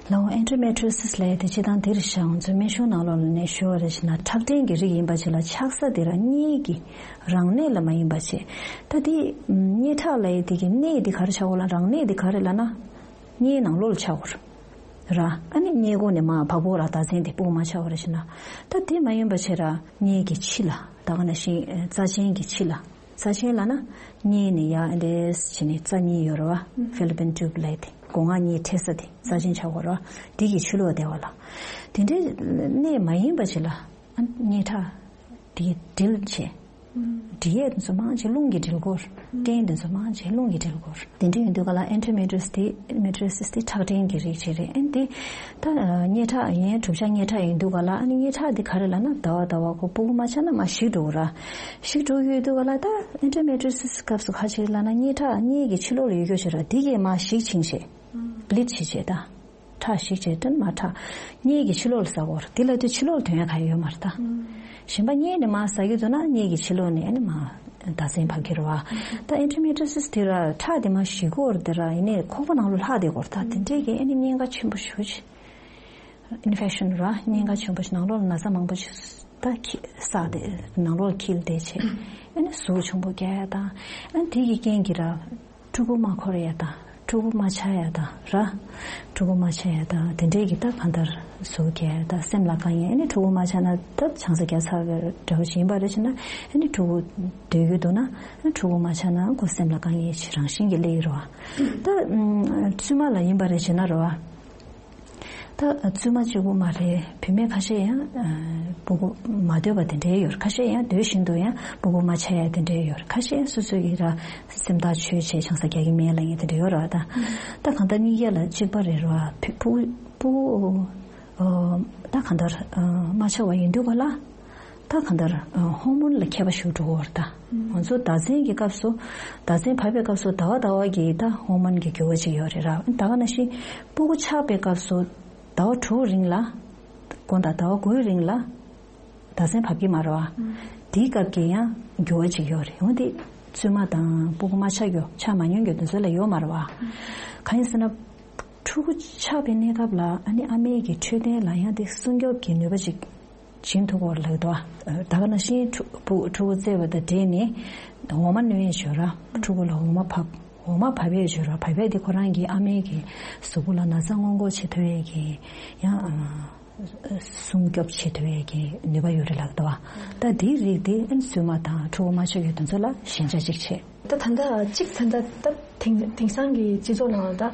ལགས། endometriosis ལབ་ཡ་དེ་སྤྱིར་བཏང་དེ་རེད་ཤག་ང་ཚོའི་སྨན་གཞུང་ནང་ལོགས་ལ་ནས་ཞུ་བ་རེད་བྱས་ན་ཁྲག་ཕྲན་གྱི་རིགས་ཡིན་པ་ཅིག་ལ་ཆགས་ས་དེ་རང་གཉིས་ཀྱི་རང་གནས་ལ་མ་ཡིན་པ་བྱས། ད་དེ་ཨམ་མངལ་ཁྲག་ལབ་ཡ་དེ་གི་གནས་དེ་ག་རེ་ཆགས་ཀྱི་ཡོད་ལབ། རང་གནས་དེ་ག་རེ་ལབ་ན་མངལ་ནང་ལོགས་ལ་ཆགས་ཀྱི་ཡོད་རེད། ར། ཨ་ནི་མངལ་སྒོ་ནས་མར་བ་སྤུ་གུ་ལ་རྟགས་མཚན་དེ་སྤུ་གུ་མ་ཆགས་པ་རེད་ཟེར་ན། ད་དེ་མ་ཡིན་པ་བྱས་ར་མངལ་གྱི་ཕྱི་ལ་ད་ག་ནང་བཞིན་རྩ་ཆེན་གྱི་ཕྱི་ལ། རྩ་ཆེན་ལབ་ན་མངལ་ནས་ཡར་འདྲེས་བྱས་ནས་རྩ་གཉིས་ཡོད་རེད་བ། Fallopian tube ལབ་དེ་སྒོ་ང་གཉིས་འཕྲད་ས་དེ་རྩ་ཆེན་ཆགས་ཀྱི་ཡོད་རེད་བ། དེ་གི་ཕྱི་ལོགས་བསྡད་པ་ལ། དེ་འདྲའི་གནས་མ་ཡིན་པ་ཅིག་ལ་ཨ་མངལ་ཁྲག་དེ་འདྲིལ་བྱས། འདྲིལ་ཡས་དེ་ཚོ་མང་ཆེ་རླུང་གིས་འདྲིལ་གྱི་ཡོད་རེད། སྐྲན་དེ་ཚོ་མང་ཆེ་རླུང་གིས་འདྲིལ་གྱི་ཡོད་རེད། དེ་འདྲ་ཡིན་དུས་ག་ལ་endometriosis དེ་endometriosis དེ་ཁྲག་སྐྲན་གྱི་རིགས་ཅིག་རེད། ཨ་ནི་དེ་ད་མངལ་ཁྲག་ཡིན། གྲུབ་ཆ་མངལ་ཁྲག་ཡིན་དུས་ག་ལ་ཨ་ནི་མངལ་ཁྲག་དེ་ག་རེ་ལབ་ན་ཟླ་བ་ཟླ་བ་ཁོ་སྤུ་གུ་མ་ཆགས་ན་མར་ཞིག་འགྲོ་གི་རེད། ཞིག་འགྲོ་གི་ཡོད་དུས་ག་ལ་ད་endometriosis སྐབས་སུ་ག་ཅིག་ལབ་ན་མངལ་ཁྲག་མངལ་གྱི་ཕྱི་ལོགས་ལ་ཡོད་རྒྱུ་ཅིག་རེད། དེ་གིས་མར་ཞིག་ཕྱིན་བྱས་bleed བྱེད་བྱས་ད། ཁྲག་ཞིག་བྱས་དོན་མ་ཁྲག་མངལ་གྱི་ཕྱི་ལོགས་ལ་ཟ་གི་ཡོད་རེད། དེ་ལབ་དུས་ཕྱི་ལོགས་ལ་དོན་ཡག་ག་ཡོད་མ་རེད་ད། གཞན་པ་མངལ་ནས་མར་ཟ་གི་འདུག་ན་མངལ་གྱི་ཕྱི་ལོགས་ནས་ཨ་ནི་མར་རྟགས་མཚན་བབས་ཀྱི་རེད་བ། ད་endometriosis དེ་ར་ཁྲག་དེ་མར་ཞིག་གི་ཡོད་རེད་དེ་ར། ཡིན་ནའི་ཁོག་པ་ནང་ལོགས་ལྷག་བསྡད་ཀྱི་ཡོད་རེད་ད། དེ་འདྲས་ཀྱི་ཨ་ནི་གཉན་ཁ་ཆེན་པོ་ཞེ་པོ་ཅིག infection ར་གཉན་ཁ་ཆེན་པོ་ཞིག་ནང་ལོགས་ལ་ན་ཚ་མང་པོ་ཞིག་ད་ཁྱི་བསགས་ཏེ་ནང་ལོགས་འཁྱིལ་བསྡད་བྱས། ཨ་ནི་ཟུག་ཆེན་པོ་རྒྱག་ཡ་དང་། ཨ་ནི་དེ་གི་རྐྱེན་གྱིས་ར་ཕྲུ་གུ་མ་འཁོར་ཡ་དང་། ཕྲུ་གུ་མ་ཆགས་ཡ་དང་ར། ཕྲུ་གུ་མ་ཆགས་ཡ་དང་དེ་འདྲས་ཀྱི་ད་གང་ལྟར་ཟུག་རྒྱག་ཡ་དང་སེམས་ལ་དཀའ་ངལ། ཨ་ནི་ཕྲུ་གུ་མ་ཆགས་ན་ད་ཆང་ས་རྒྱག་ཚར་བའི་འདྲ་བོ་ཞིག་ཡིན་པ་རེད་བྱས་ན། ཨ་ནི་ཕྲུ་གུ་སྡོད་ཀྱི་འདུག་ན་ཨ་ཕྲུ་གུ་མ་ཆགས་ན་ཁོ་སེམས་ལ་དཀའ་ངལ་ཞིག་རང་བཞིན་གྱིས་སླེབས་ཀྱི་རེད་བ། ད་བཙུན་མ་ལ་ཡིན་པ་རེད་བྱས་ན་རེད་བ། ད་བཙུན་མ་གཅིག་པུ་མ་རེད། བུད་མེད་ཁ་ཤས་ཡང་ཨ་སྤུ་གུ་མ་སྡོད་པ་དེ་འདྲའི་ཡོད་རེད། ཁ་ཤས་ཡང་སྡོད་བཞིན་དུ་ཡང་སྤུ་གུ་མ་ཆགས་ཡ་དེ་འདྲའི་ཡོད་རེད། ཁ་ཤས་ཡང་སོ་སོ་ཡི་ར་སེམས་ཐག་ཆོད་བྱས་ཆང་ས་རྒྱག་གི་མེད་ལབ་མཁན་དེ་འདྲ་ཡོད་རེད་བ། ད་ད་གང་ལྟར་གཉིས་ཀ་ལ་གཅིག་པ་རེད་རེད་བ། བུ་སྤུ་གུ་ཨ་ད་གང་ལྟར་ཨ་མ་ཆགས་པ་ཡིན་དུས་ག་ལ། ད་གང་ལྟར་ཧོར་མོན་ལ་ཁྱད་པར་ཞིག་འགྲོ་གི་ཡོད་རེད་ད། ང་ཚོ་ཟླ་མཚན་གྱི་སྐབས་སུ་ཟླ་མཚན་བབས་པའི་སྐབས་སུ་ཟླ་བ་ཟླ་བ་གི་ད་ཧོར་མོན་གྱི་འགྱུར་བ་ཅིག་ཡོད་རེད་ར། ད་ག་ནང་བཞིན་སྤུ་གུ་ཆགས་པའི་སྐབས་སུ་ཟླ་བ་དྲུག་རིང་ལ། དགུ་དང་ཟླ་བ་དགུའི་རིང་ལ་ཟླ་མཚན་བབས་ཀྱི་མ་རེད་བ། དེའི་སྐབས་ཀྱི་ཡང་འགྱུར་བ་ཅིག་ཡོད་རེད། འོན་ཏེ་བཙུན་མ་དང་སྤུ་གུ་མ་ཆགས་རྒྱུ་ཆགས་མ་མྱོང་རྒྱུ་དེ་ཚོ་ལ་ཡོད་མ་རེད་བ། གང་ཡིན་ཟེར་ན། ཕྲུ་གུ་ཆགས་པའི་གནས་སྐབས་ལ་ཨ་ནི་ཨ་མའི་གི་འཕྲོད་བསྟེན་ལ་ཡང་དེ་སྲུང་སྐྱོབ་ཀྱི་ནུས་པ་ཅིག་བྱིན་ཐུབ་ཀྱི་ཡོད་རེད་ལབ་ཀྱི་འདུག་བ། ད་ག་ནང་བཞིན་ཕྲུ་ཕྲུ་གུ་བཙས་པ་དང་འབྲེལ་ནས་འོ་མ་སྣོན་ཡས་ཡོད་ར། ཕྲུ་གུ་ལ་འོ་མ་བབས། འོ་མ་བབས་ཡས་ཡོད་ར། བབས་ཡས་དེ་ཁོ་རང་གི་ཨ་མའི་གི་གཟུགས་པོ་ལ་ན་ཚ་སྔོན་འགོག་བྱེད་ཐུབ་ཡས་ཀྱི་ཡང་སྲུང་སྐྱོབ་བྱེད་ཐུབ་ཡས་ཀྱི་ནུས་པ་ཡོད་རེད་ལབ་ཀྱི་འདུག་བ། ད་དེའི་རིགས་དེ་ཨ་ནི་བཙུན་མ་དང་ཕྲུ་གུ་མ་ཆགས་ཡོད་དེ་ཚོ་ལ་ཞན་ཆ་གཅིག་བྱས། ད་ད་ལྟ་གཅིག་ད་ལྟ་ད་དེང་དེང་སང་གི་སྤྱི་ཚོགས་ནང་ལ་ད་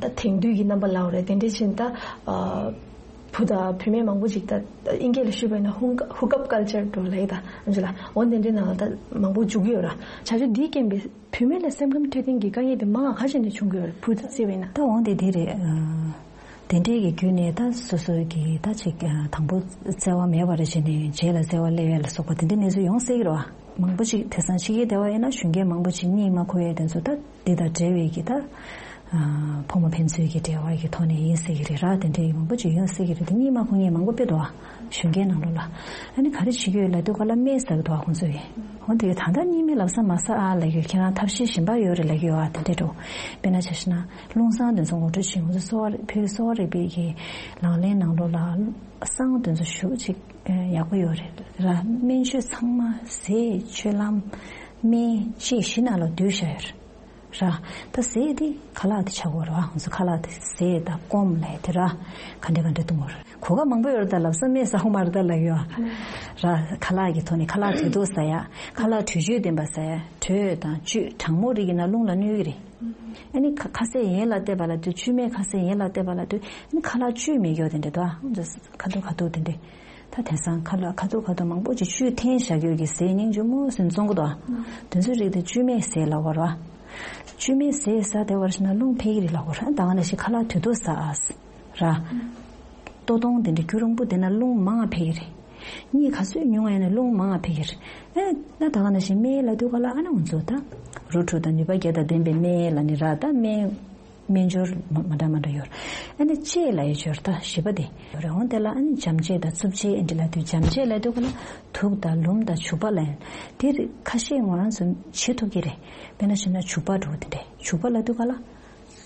ད་དེང་དུས་ཀྱི་རྣམ་པ་ལབ་རེད། དེ་འདྲ་ཕྱིན་ད་བུ་དང་བུད་མེད་མང་པོ་ཅིག་ད་དབྱིན་སྐད་ལ་ཞུས་པ་ཡིན་ན་ཧུང་ཧུག་ཨབ་ཀལ་ཅར་འགྲོ་ལབ་ད་ཨ་ཅོ་ལ་འོ་དེ་འདྲའི་ནང་ལ་ད་མང་པོ་འཇུག་གི་ཡོད་ར། བྱ་སྤྱོད་འདིའི་རྐྱེན་པས་བུད་མེད་ལ་སེམས་ཁམས་འཕྲོད་བསྟེན་གྱི་དཀའ་ངལ་དེ་མང་ང་ག་ཅིག་ནས་བྱུང་གི་ཡོད་རེད། བུ་དང་བརྩིས་པ་ཡིན་ན། ད་འོ་དེ་དེ་རེད། དེ་འདྲའི་གི་བརྒྱུད་ནས་ད་སོ་སོའི་གི་ད་ཅིག་དང་པོ་བརྩེ་བ་མེད་པ་རེ་བྱས་ནས་རྗེས་ལ་བརྩེ་བ་སླེབས་ཡས་ལ་སོགས་པ་དེ་འདྲའི་གནས་ཚུལ་ཡོང་སྲིད་ཀྱི་རེད་བ། མང་པོ་ཅིག་དེང་སང་ཕྱི་རྒྱལ་སྡེ་བ་ཡིན་ན་གཞོན་སྐྱེས་མང་པོ་ཅིག་གཉིད་མ་ཁུག་ཡས་དེ་ཚོ་ད་འདི་དང་འབྲེལ་བའི་གི་ད་ཕོ་མོ་ཕན་ཚུན་གྱི་འབྲེལ་བ་གི་ཐོག་ནས་ཡིན་སྲིད་ཀྱི་རེད་ར། དེ་འདྲའི་མང་པོ་ཅིག་ཡོང་སྲིད་ཀྱི་རེད། དེ་གཉིད་མ་ཁུག་མཁན་མང་པོ་དཔེ་འདུག་བ། གཞོན་སྐྱེས་ནང་ལོགས་ལ། ཨ་ནི་ག་རེ་བྱེད་ཀྱི་ཡོད་ལབ་དུས་ག་ལ་སྨན་ཟ་གི་འདུག་བ་ཁོང་ཚོ་གིས། འོ་དེ་ད་ལྟ་གཉིད་སྨན་ལམ་སང་མ་ཟ་ཨ་ལབ་ཀྱི་ཡོད། ཁྱེད་རང་ཐབས་ཤེས་གཞན་པ་ཡོད་རེད་ལབ་ཀྱི་ཡོད་ཨ། དེ་འདྲ་འགྲོ། དཔེར་ན་ཆ་བཞག་ན་རླུང་སྲང་དེ་ཚོ་ངོ་སྤྲོད་བྱེད། ང་ཚོ་གསོ་བ་རིག་བོད་གསོ་བ་རིག་པའི་གི་ལག་ལེན་ནང་ལོགས་ལ་སྲང་དེ་ཚོ་ཞེ་པོ་ཅིག་ཡག་པོ་ཡོད་རེད་ར། སྨན་བཅོས་ཚང་མ་ཟས་སྤྱོད་ལམ་སྨན་དཔྱད་བཞི་ནང་ལ་བསྡུས་བཞག་ཡོད་རེད་ར། ད་ཟས་དེ་ཁ་ལག་དེ་ཆགས་ཀྱི་ཡོད་རེད་བ། ང་ཚོ་ཁ་ལག་དེ་ཟས་དང་སྐོམ་ལབ་དེ་ར་ག་འདྲ་ག་འདྲ་བཏུང་གི་ཡོད་རེད། གོ་སྐབས་མང་པོ་ཡོད་རེད། ད་ལམ་སང་སྨན་ཟ་ཧོ་མ་རེད་ད་ལབ་ཡོད་ར། ཁ་ལག་གི་ཐོག་ནས་ཁ་ལག་དུས་ཐོག་ཟ་ཡ། ཁ་ལག་དྲོད་བཅུད་ལྡན་པ་ཟ་ཡ། དྲོད་དང་བཅུད་གྲང་མོ་རིགས་ཡིན་ན་རླུང་ལ་གནོད་ཀྱི་རེད། ཨ་ནི་ཁ་ཁ་ཟས་ཡན་ལ་བལྟས་པ་ལ་དུས་བཅུད་མའི་ཁ་ཟས་ཡན་ལ་བལྟས་པ་ལ་དུས་ཨ་ནི་ཁ་ལག་བཅུད་མེད་ཀྱོག་དེ་འདྲ་འདུག་ཨ། ཁ་ཐུག་ཁ་ཐུག་དེ་འདྲ། ད་དེང་སང་ཁ་ལག་ཁ་ཐུག་ཁ་ཐུག་མང་པོ་ཅིག་བཅུད་འཐེན་བཞག་ཡོད་ཀྱི་ཟས་སྙིང་རྗེ་མོ་ཟིན་བཙོང་གི་འདུག་ཨ། དེ་ཚོའི་རིགས་དེ་བཅུད་མའི་ཟས་ལབ་པ་རེད་བ། བཅུད་མའི་ཟས་ཟ་བསྡད་པར་བྱས་ན་རླུང་འཕེལ་གྱི་རེད་ལབ་པ་རེད། ད་ག་ནང་བཞིན་ཁ་ལག་དུས་ཐོག་ཟ་ཨ། ར། ལྟོ་སྟོང་དེ་འདྲ་རྒྱུན་རིང་པོ་བསྡད་ན་རླུང་མང་ང་འཕེལ་གྱི་རེད། གཉིད་ག་ཚོད་ཉུང་ང་ཡིན་ན་རླུང་མང་ང་འཕེལ་གྱི་རེད། ཨེ་ན་ད་ག་ནང་བཞིན་སྨན་ལབ་དུས་ག་ལ་ཨ་ན་ང་ཚོ་ད་རོ་བྲོ་དང་ནུས་པ་བརྒྱད་དང་ལྡན་པའི་སྨན་ལབ་ནི་ར། ད་སྨན་སྨན་སྦྱོར་མ་མ་འདྲ་མ་འདྲ་ཡོད་རེད། ཨ་ནི་དཔྱད་ལབ་ཡས་སྦྱོར་ད་བཞི་པ་དེ་ཡོད་རེད། འོང་དེ་ལ་ཨ་ནི་འཇམ་དཔྱད་དང་རྩུབ་དཔྱད་ཨེ་འདྲ་ལབ་དུས་འཇམ་དཔྱད་ལབ་དུས་ག་ལ་དུག་དང་ལུམ་དང་བྱུག་པ་ལ་ཡང་དེ་རིགས་ཁ་ཤས་ང་རང་ཚོ་བྱེད་ཐུབ་ཀྱི་རེད། དཔེར་ན་བྱས་ན་བྱུག་པ་འདྲ་བོ་དེ་འདྲས། བྱུག་པ་ལབ་དུས་ག་ལ།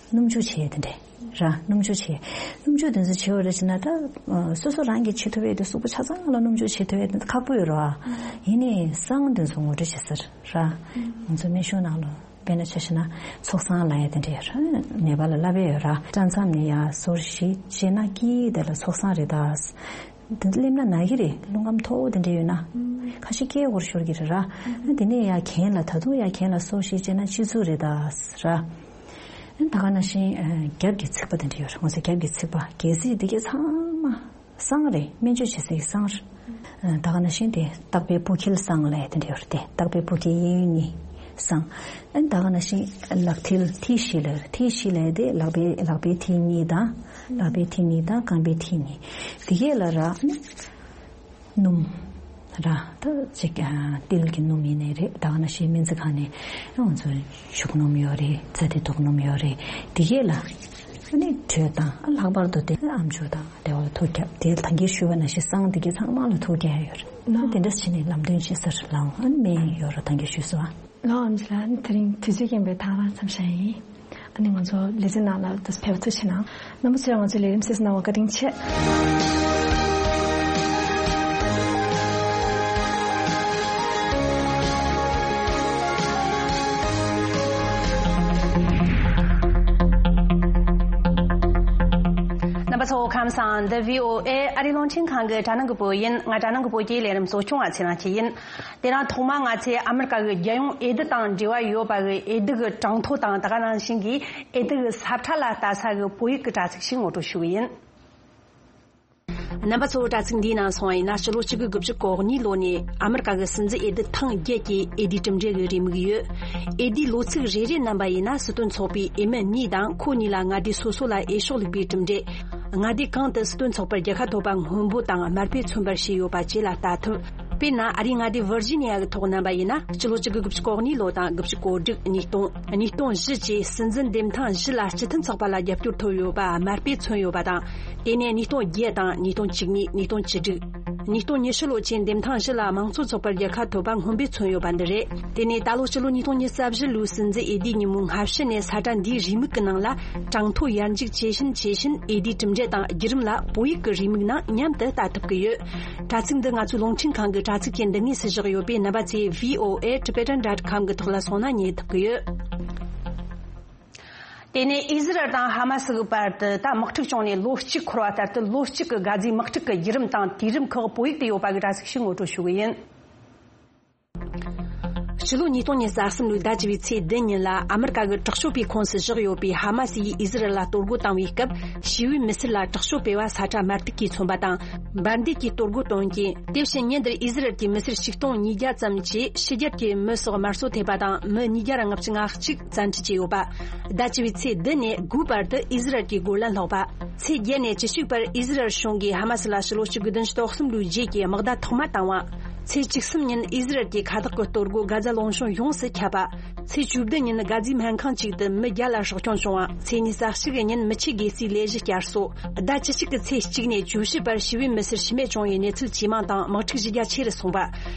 སྣུམ་འཇུག་བྱེད་ཡས་དེ་འདྲས་ར། སྣུམ་འཇུག་བྱེད་ཡས། སྣུམ་འཇུག་དེ་ཚོ་བྱེད་པ་རེད་ཟེར་ན་ད་སོ་སོ་རང་གིས་བྱེད་ཐུབ་ཡས་དེ་གཟུགས་པོ་ཆ་ཚང་ལ་སྣུམ་འཇུག་བྱེད་ཐུབ་ཡས་དེ་ཁག་པོ་ཡོད་རེད་བ། ཡིན་ནའི་སྲང་དེ་ཚོ་ངོ་སྤྲོད་བྱེད་ས་ར། ང་ཚོ་སྨན་གཞུང་ནང་ལ་ དཔེར་ན་ཆ་བཞག་ན་ཚོགས་བསགས་ལབ་ཡ་དེ་འདྲ་ཡོད་རེད། ནེ་པ་ལ་ལབ་ཡ་ཡོད་ར། སྐྲ་མཚམས་ནས་ཡར་སོར་བཞི་བཅད་ན་སྐྱིད་དེ་ལ་ཚོགས་བསགས་རེད་ད། དེ་སླེབས་ན་ན་གི་རེད། རླུང་ཁམས་མཐོ་བོ་དེ་འདྲ་ཡོད་ན། ཁ་ཤས་སྐད་འོར་ཤོར་གི་རེད་ར། དེ་ནས་ཡར་གྱེན་ལ་ད་དུང་ཡར་གྱེན་ལ་སོར་བཞི་བཅད་ན་སྤྱི་གཙུག་རེད་ད་ར། ད་ག་ནང་བཞིན་རྒྱབ་ཀྱི་ཚིགས་པ་དེ་འདྲ་ཡོད་རེད། ང་ཚོ་རྒྱབ་ཀྱི་ཚིགས་པ་གལ་སྲིད་དེ་གའི་ཚང་མ་བསང་རེད། སྨན་བཅོས་བྱེད་སའི་བསང་རེད། ད་ག་ནང་བཞིན་དེ་སྟག་པའི་སྤུ་འཁྱིལ་བསང་ལབ་དེ་འདྲ་ཡོད་རེད་དེ། སྟག་པའི་སྤུ་འཁྱིལ་གཡས་གཡོན་གཉིས་བསང་། ཨ་ནི་ད་ག་ནང་བཞིན་ལག་མཐིལ་མཐིལ་བཞི་ལབ་རེད། མཐིལ་བཞི་ལབ་དེ་ལག་པའི་ལག་པའི་མཐིལ་གཉིས་དང་། ལག་པའི་མཐིལ་གཉིས་དང་རྐང་པའི་མཐིལ་གཉིས། དེ་གས་ལ་ར་ཨ་ནི་སྣུམ་ར་ད་ཅིག་ཨ་ཏིལ་གྱི་སྣུམ་ཡིན་ནའི་རེད། ད་ག་ནང་བཞིན་སྨན་རྩིས་ཁང་ནས་ང་ཚོ་ཤུག་སྣུམ་ཡོད་རེད། ཚ་དེ་དུག་སྣུམ་ཡོད་རེད། དེ་གས་ལ་ཨ་ནི་དྲོད་དང་ཨ་ལྷག་པར་དུ་དེ་ཨམ་ཅོག་དང་དེ་བ་ལ་ཐུགས་རྒྱབ་དེ་ད་གིན་ཞུས་པ་ནང་བཞིན་བསང་དེ་གས་ཚང་མ་ལ་ཐུགས་རྒྱབ་ཡོད་རེད། ལགས། དེ་འདྲ་བྱས་ནས་ལམ་སྟོན་བྱེད་སར་ལའང་ཨ་ནི་སྨན་ཡོད་ར་ད་གིན་ཞུས་སོང་ཨ། ལགས་འོང་ལགས། དེ་རིང་དུས་ཚོད་རྐྱེན་པས་ཐག་རང་མཚམས་བཞག་ཡིན། ཨ་ནི་ང་ཚོ་ལེ་ཚན་ནང་ལ་དུ་ཕེབས་ཐུགས་ཆེ་གནང་། རྣམ་པ་ཚོས་ང་ཚོའི་ལས་རིམ་གསན་གཟིགས་གནང་བར་བཀའ་དྲིན་ཆེ། རྣམ་པ་ཚོ་ཁམས་བཟང་། འདི་བྷི་ཨོ་ཨེ་ཨ་རིའི་རླུང་འཕྲིན་ཁང་གི་དྲ་སྣང་གི་བོད་ཡིན། ང་དྲ་སྣང་གི་བོད་ཀྱི་ལས་རིམ་གཙོ་སྐྱོང་བ་ཚེ་རིང་སྐྱིད་ཡིན། དེ་རིང་ཐོག་མར་ང་ཚོས་ཨ་མི་རི་ཀ་གི་རྒྱལ་ཡོངས་འོས་བསྡུ་དང་འབྲེལ་བ་ཡོད་པ་གི་འོས་བསྡུ་གི་གྲངས་ཐོ་དང་། ད་ག་ནང་བཞིན་གྱི་འོས་བསྡུ་གི་ས་ཁྲ་ལ་ལྟ་ས་གི་བོད་ཡིག་གི་དྲ་ཚིགས་ཤིག་ངོ་སྤྲོད་ཞུ་གི་ཡིན། རྣམ་པ་ཚོ་དྲ་ཚིགས་འདིའི་ནང་སོང་བ་ཡིན་ན། སྤྱི་ལོ་གཅིག་དགུ་དགུ་བཅུ་གོ་གཉིས་ལོ་ནས་ཨ་མི་རི་ཀ་གི་སྲིད་འཛིན་འོས་བསྡུ་ཐེངས་བརྒྱད་ཀྱི་འོས་བསྡུའི་གྲུབ་འབྲས་ཀྱི་རེའུ་མིག་ཡོད། འོས་བསྡུའི་ལོ་ཚིགས་རེ་རེ་བསྣན་པ་ཡིན་ན། སྲིད་དོན་ཚོགས་པའི་འོས་མི་གཉིས་དང་ཁོ་གཉིས་ལ་མངའ་སྡེ་སོ་སོ་ལ་འོས་ཤོག་བླུགས་པའི་གྲུབ་འབྲས། མངའ་སྡེ་གང་དུ་སྲིད་དོན་ཚོགས་པར་རྒྱལ་ཁ་ཐོབ་པ་སྔོན་པོ་དང་དམར་པོས་མཚོན་པར་བྱས་ཡོད་པ་བཅས་ལ་ལྟ་ཐུབ། དཔེར་ན། ཨ་རིའི་མངའ་སྡེ་ཝར་ཇི་ནི་ཡ་གི་ཐོག་བསྣན་པ་ཡིན་ན། སྤྱི་ལོ་གཅིག་དགུ་དགུ་བཅུ་གོ་གཉིས་ལོ་དང་དགུ་བཅུ་གོ་དྲུག། ཉིས་སྟོང་། ཉིས་སྟོང་བཞི་བཅས་སྲིད་འཛིན་འདེམས་ཐེངས་བཞི་ལ་སྤྱི་མཐུན་ཚོགས་པ་ལ་རྒྱབ་སྐྱོར་ཐོབ་ཡོད་པ་དམར་པོས་མཚོན་ཡོད་པ་དང་། དེ་ནས་ཉིས་སྟོང་བརྒྱད་དང་། ཉིས་སྟོང་བཅུ་གཉིས། ཉིས་སྟོང་བཅུ་དྲུག། ཉིས་སྟོང་ཉི་ཤུ་ལོ་བཅས་འདེམས་ཐེངས་བཞི་ལ་དམངས་གཙོ་ཚོགས་པར་རྒྱལ་ཁ་ཐོབ་པ་སྔོན་པོས་མཚོན་ཡོད་པ་འདི་རེད། དེ་ནས་ད་ལོ་སྤྱི་ལོ་ཉིས་སྟོང་ཉི་ཤུ་རྩ་བཞི་ལོའི་སྲིད་འཛིན་འོས་བསྡུའི་ཉིན་མོའི་སྔ་ཕྱི་ནས་ས་ཁྲ་འདིའི་རེའུ་མིག་གི་ནང་ལ་གྲངས་ཐོ་ཡར་འཇུག་ཇེ་ཞན་ཇེ་ཞན། འོས་བསྡུའི་གྲུབ་འབྲས་དང་བརྒྱུད་རིམ་ལ་བོད་ཡིག་གི་རེའུ་མིག་ནང་མཉམ་དུ་ལྟ་ཐུབ་ཀྱི་ཡོད། དྲ་ཚིགས་འདི་ང་ཚོའི་རླུང་འཕྲིན་ཁང་གི་དྲ་ཚིགས་ཀྱི་འདི་ངོས་སུ་བཞག་ཡོད་པས། རྣམ་པ་ཚོས་V O A Tibetan dot com གི་ཐོག་ལ་སོང་ན་རྙེད་ཐུབ་ཀྱི་ཡོད། དེ་ནས་ཨི་ཟི་རལ་དང་ཧ་མ་སི་གི་བར་དུ་ད་དམག་འཁྲུག་བྱུང་ནས་ལོ་གཅིག་འཁོར་བ་ལྟར་དུ། ལོ་གཅིག་གི་གྷ་ཛའི་དམག་འཁྲུག་གི་བརྒྱུད་རིམ་དང་དུས་རིམ་ཁག་བོད་ཡིག་ཏུ་ཡོད་པ་གི་དྲ་ཚིགས་ཤིག་ངོ་སྤྲོད་ཞུ་གི་ཡིན། ཕྱི་ལོ་ཉིས་སྟོང་ཉི་ཤུ་རྩ་གསུམ་ལོའི་ཟླ་བཅུ་པའི་ཚེས་བདུན་ཉིན་ལ་ཨ་མི་རི་ཀ་གི་དྲག་སྤྱོད་པའི་ཁོངས་སུ་བཞག་ཡོད་པའི་ཧ་མ་སི་ཡིས་ཨི་ཟི་རལ་ལ་གཏོར་རྒོལ་བཏང་བའི་སྐབས། ཞི་བའི་མི་སེར་ལ་དྲག་སྤྱོད་སྤེལ་བ་ས་ཁྲ་དམར་ཐིག་གིས་མཚོན་པ་དང་། འབར་མདེལ་གྱིས་གཏོར་རྒོལ་གཏོང་རྐྱེན། དེ་བཞིན་ཉིན་དེར་ཨི་ཟི་རལ་གྱི་མི་སེར་ཆིག་སྟོང་ཉིས་བརྒྱ་ཙམ་གྱིས་ཕྱི་རྒྱལ་གྱི་མི་སོགས་དམར་གསོད་ཐེབས་པ་དང་། མི་ཉིས་བརྒྱ་ལྔ་བཅུ་ང་གཅིག་བཙན་ཁྲིད་བྱས་ཡོད་པ། ཟླ་བཅུ་པའི་ཚེས་བདུན་ནས་དགུ་བར་དུ་ཨི་ཟི་རལ་གྱི་རྒོལ་ལན་སློག་པ། ཚེས་བརྒྱད་ནས་བཅུ་གཅིག་བར་ཨི་ཟི་རལ་གཞུང་གིས་ཧ་མ་སི་ལ་ཕྱི་ལོ་གཅིག་དགུ་བདུན་ཅུ་དོན་གསུམ་ལོའི་རྗེས་ཀྱི་དམག་བརྡ་ཐོག་མ་བཏང་བ། ཚེས་བཅུ་གསུམ་ཉིན་ཨི་ཟི་རལ་གྱི་མཁའ་ཐོག་གི་གཏོར་རྒོལ་གྷ་ཛ་ལུང་གཤོང་ཡོངས་སུ་ཁྱབ་པ། ཚེས་བཅུ་བདུན་ཉིན་གྷ་ཛའི་སྨན་ཁང་གཅིག་ཏུ་མི་བརྒྱ་ལ་སྲོག་སྐྱོན་བྱུང་བ། ཚེས་ཉི་ཤུ་རྩ་གཅིག་ཉིན་མི་ཆེ་གེ་སའི་ལས་གཞི་བསྐྱར་གསོ། ཟླ་བཅུ་གཅིག་གི་ཚེས་གཅིག་ནས་བཅུ་བཞི་བར་ཞི་བའི་མི་སེར་ཤི་རྨས་བྱུང་བའི་གནས་ཚུལ་ཇེ་མང་དང་། དམག་འཁྲུག་ཇེ་རྒྱ་ཆེ་རུ་སོང་བ།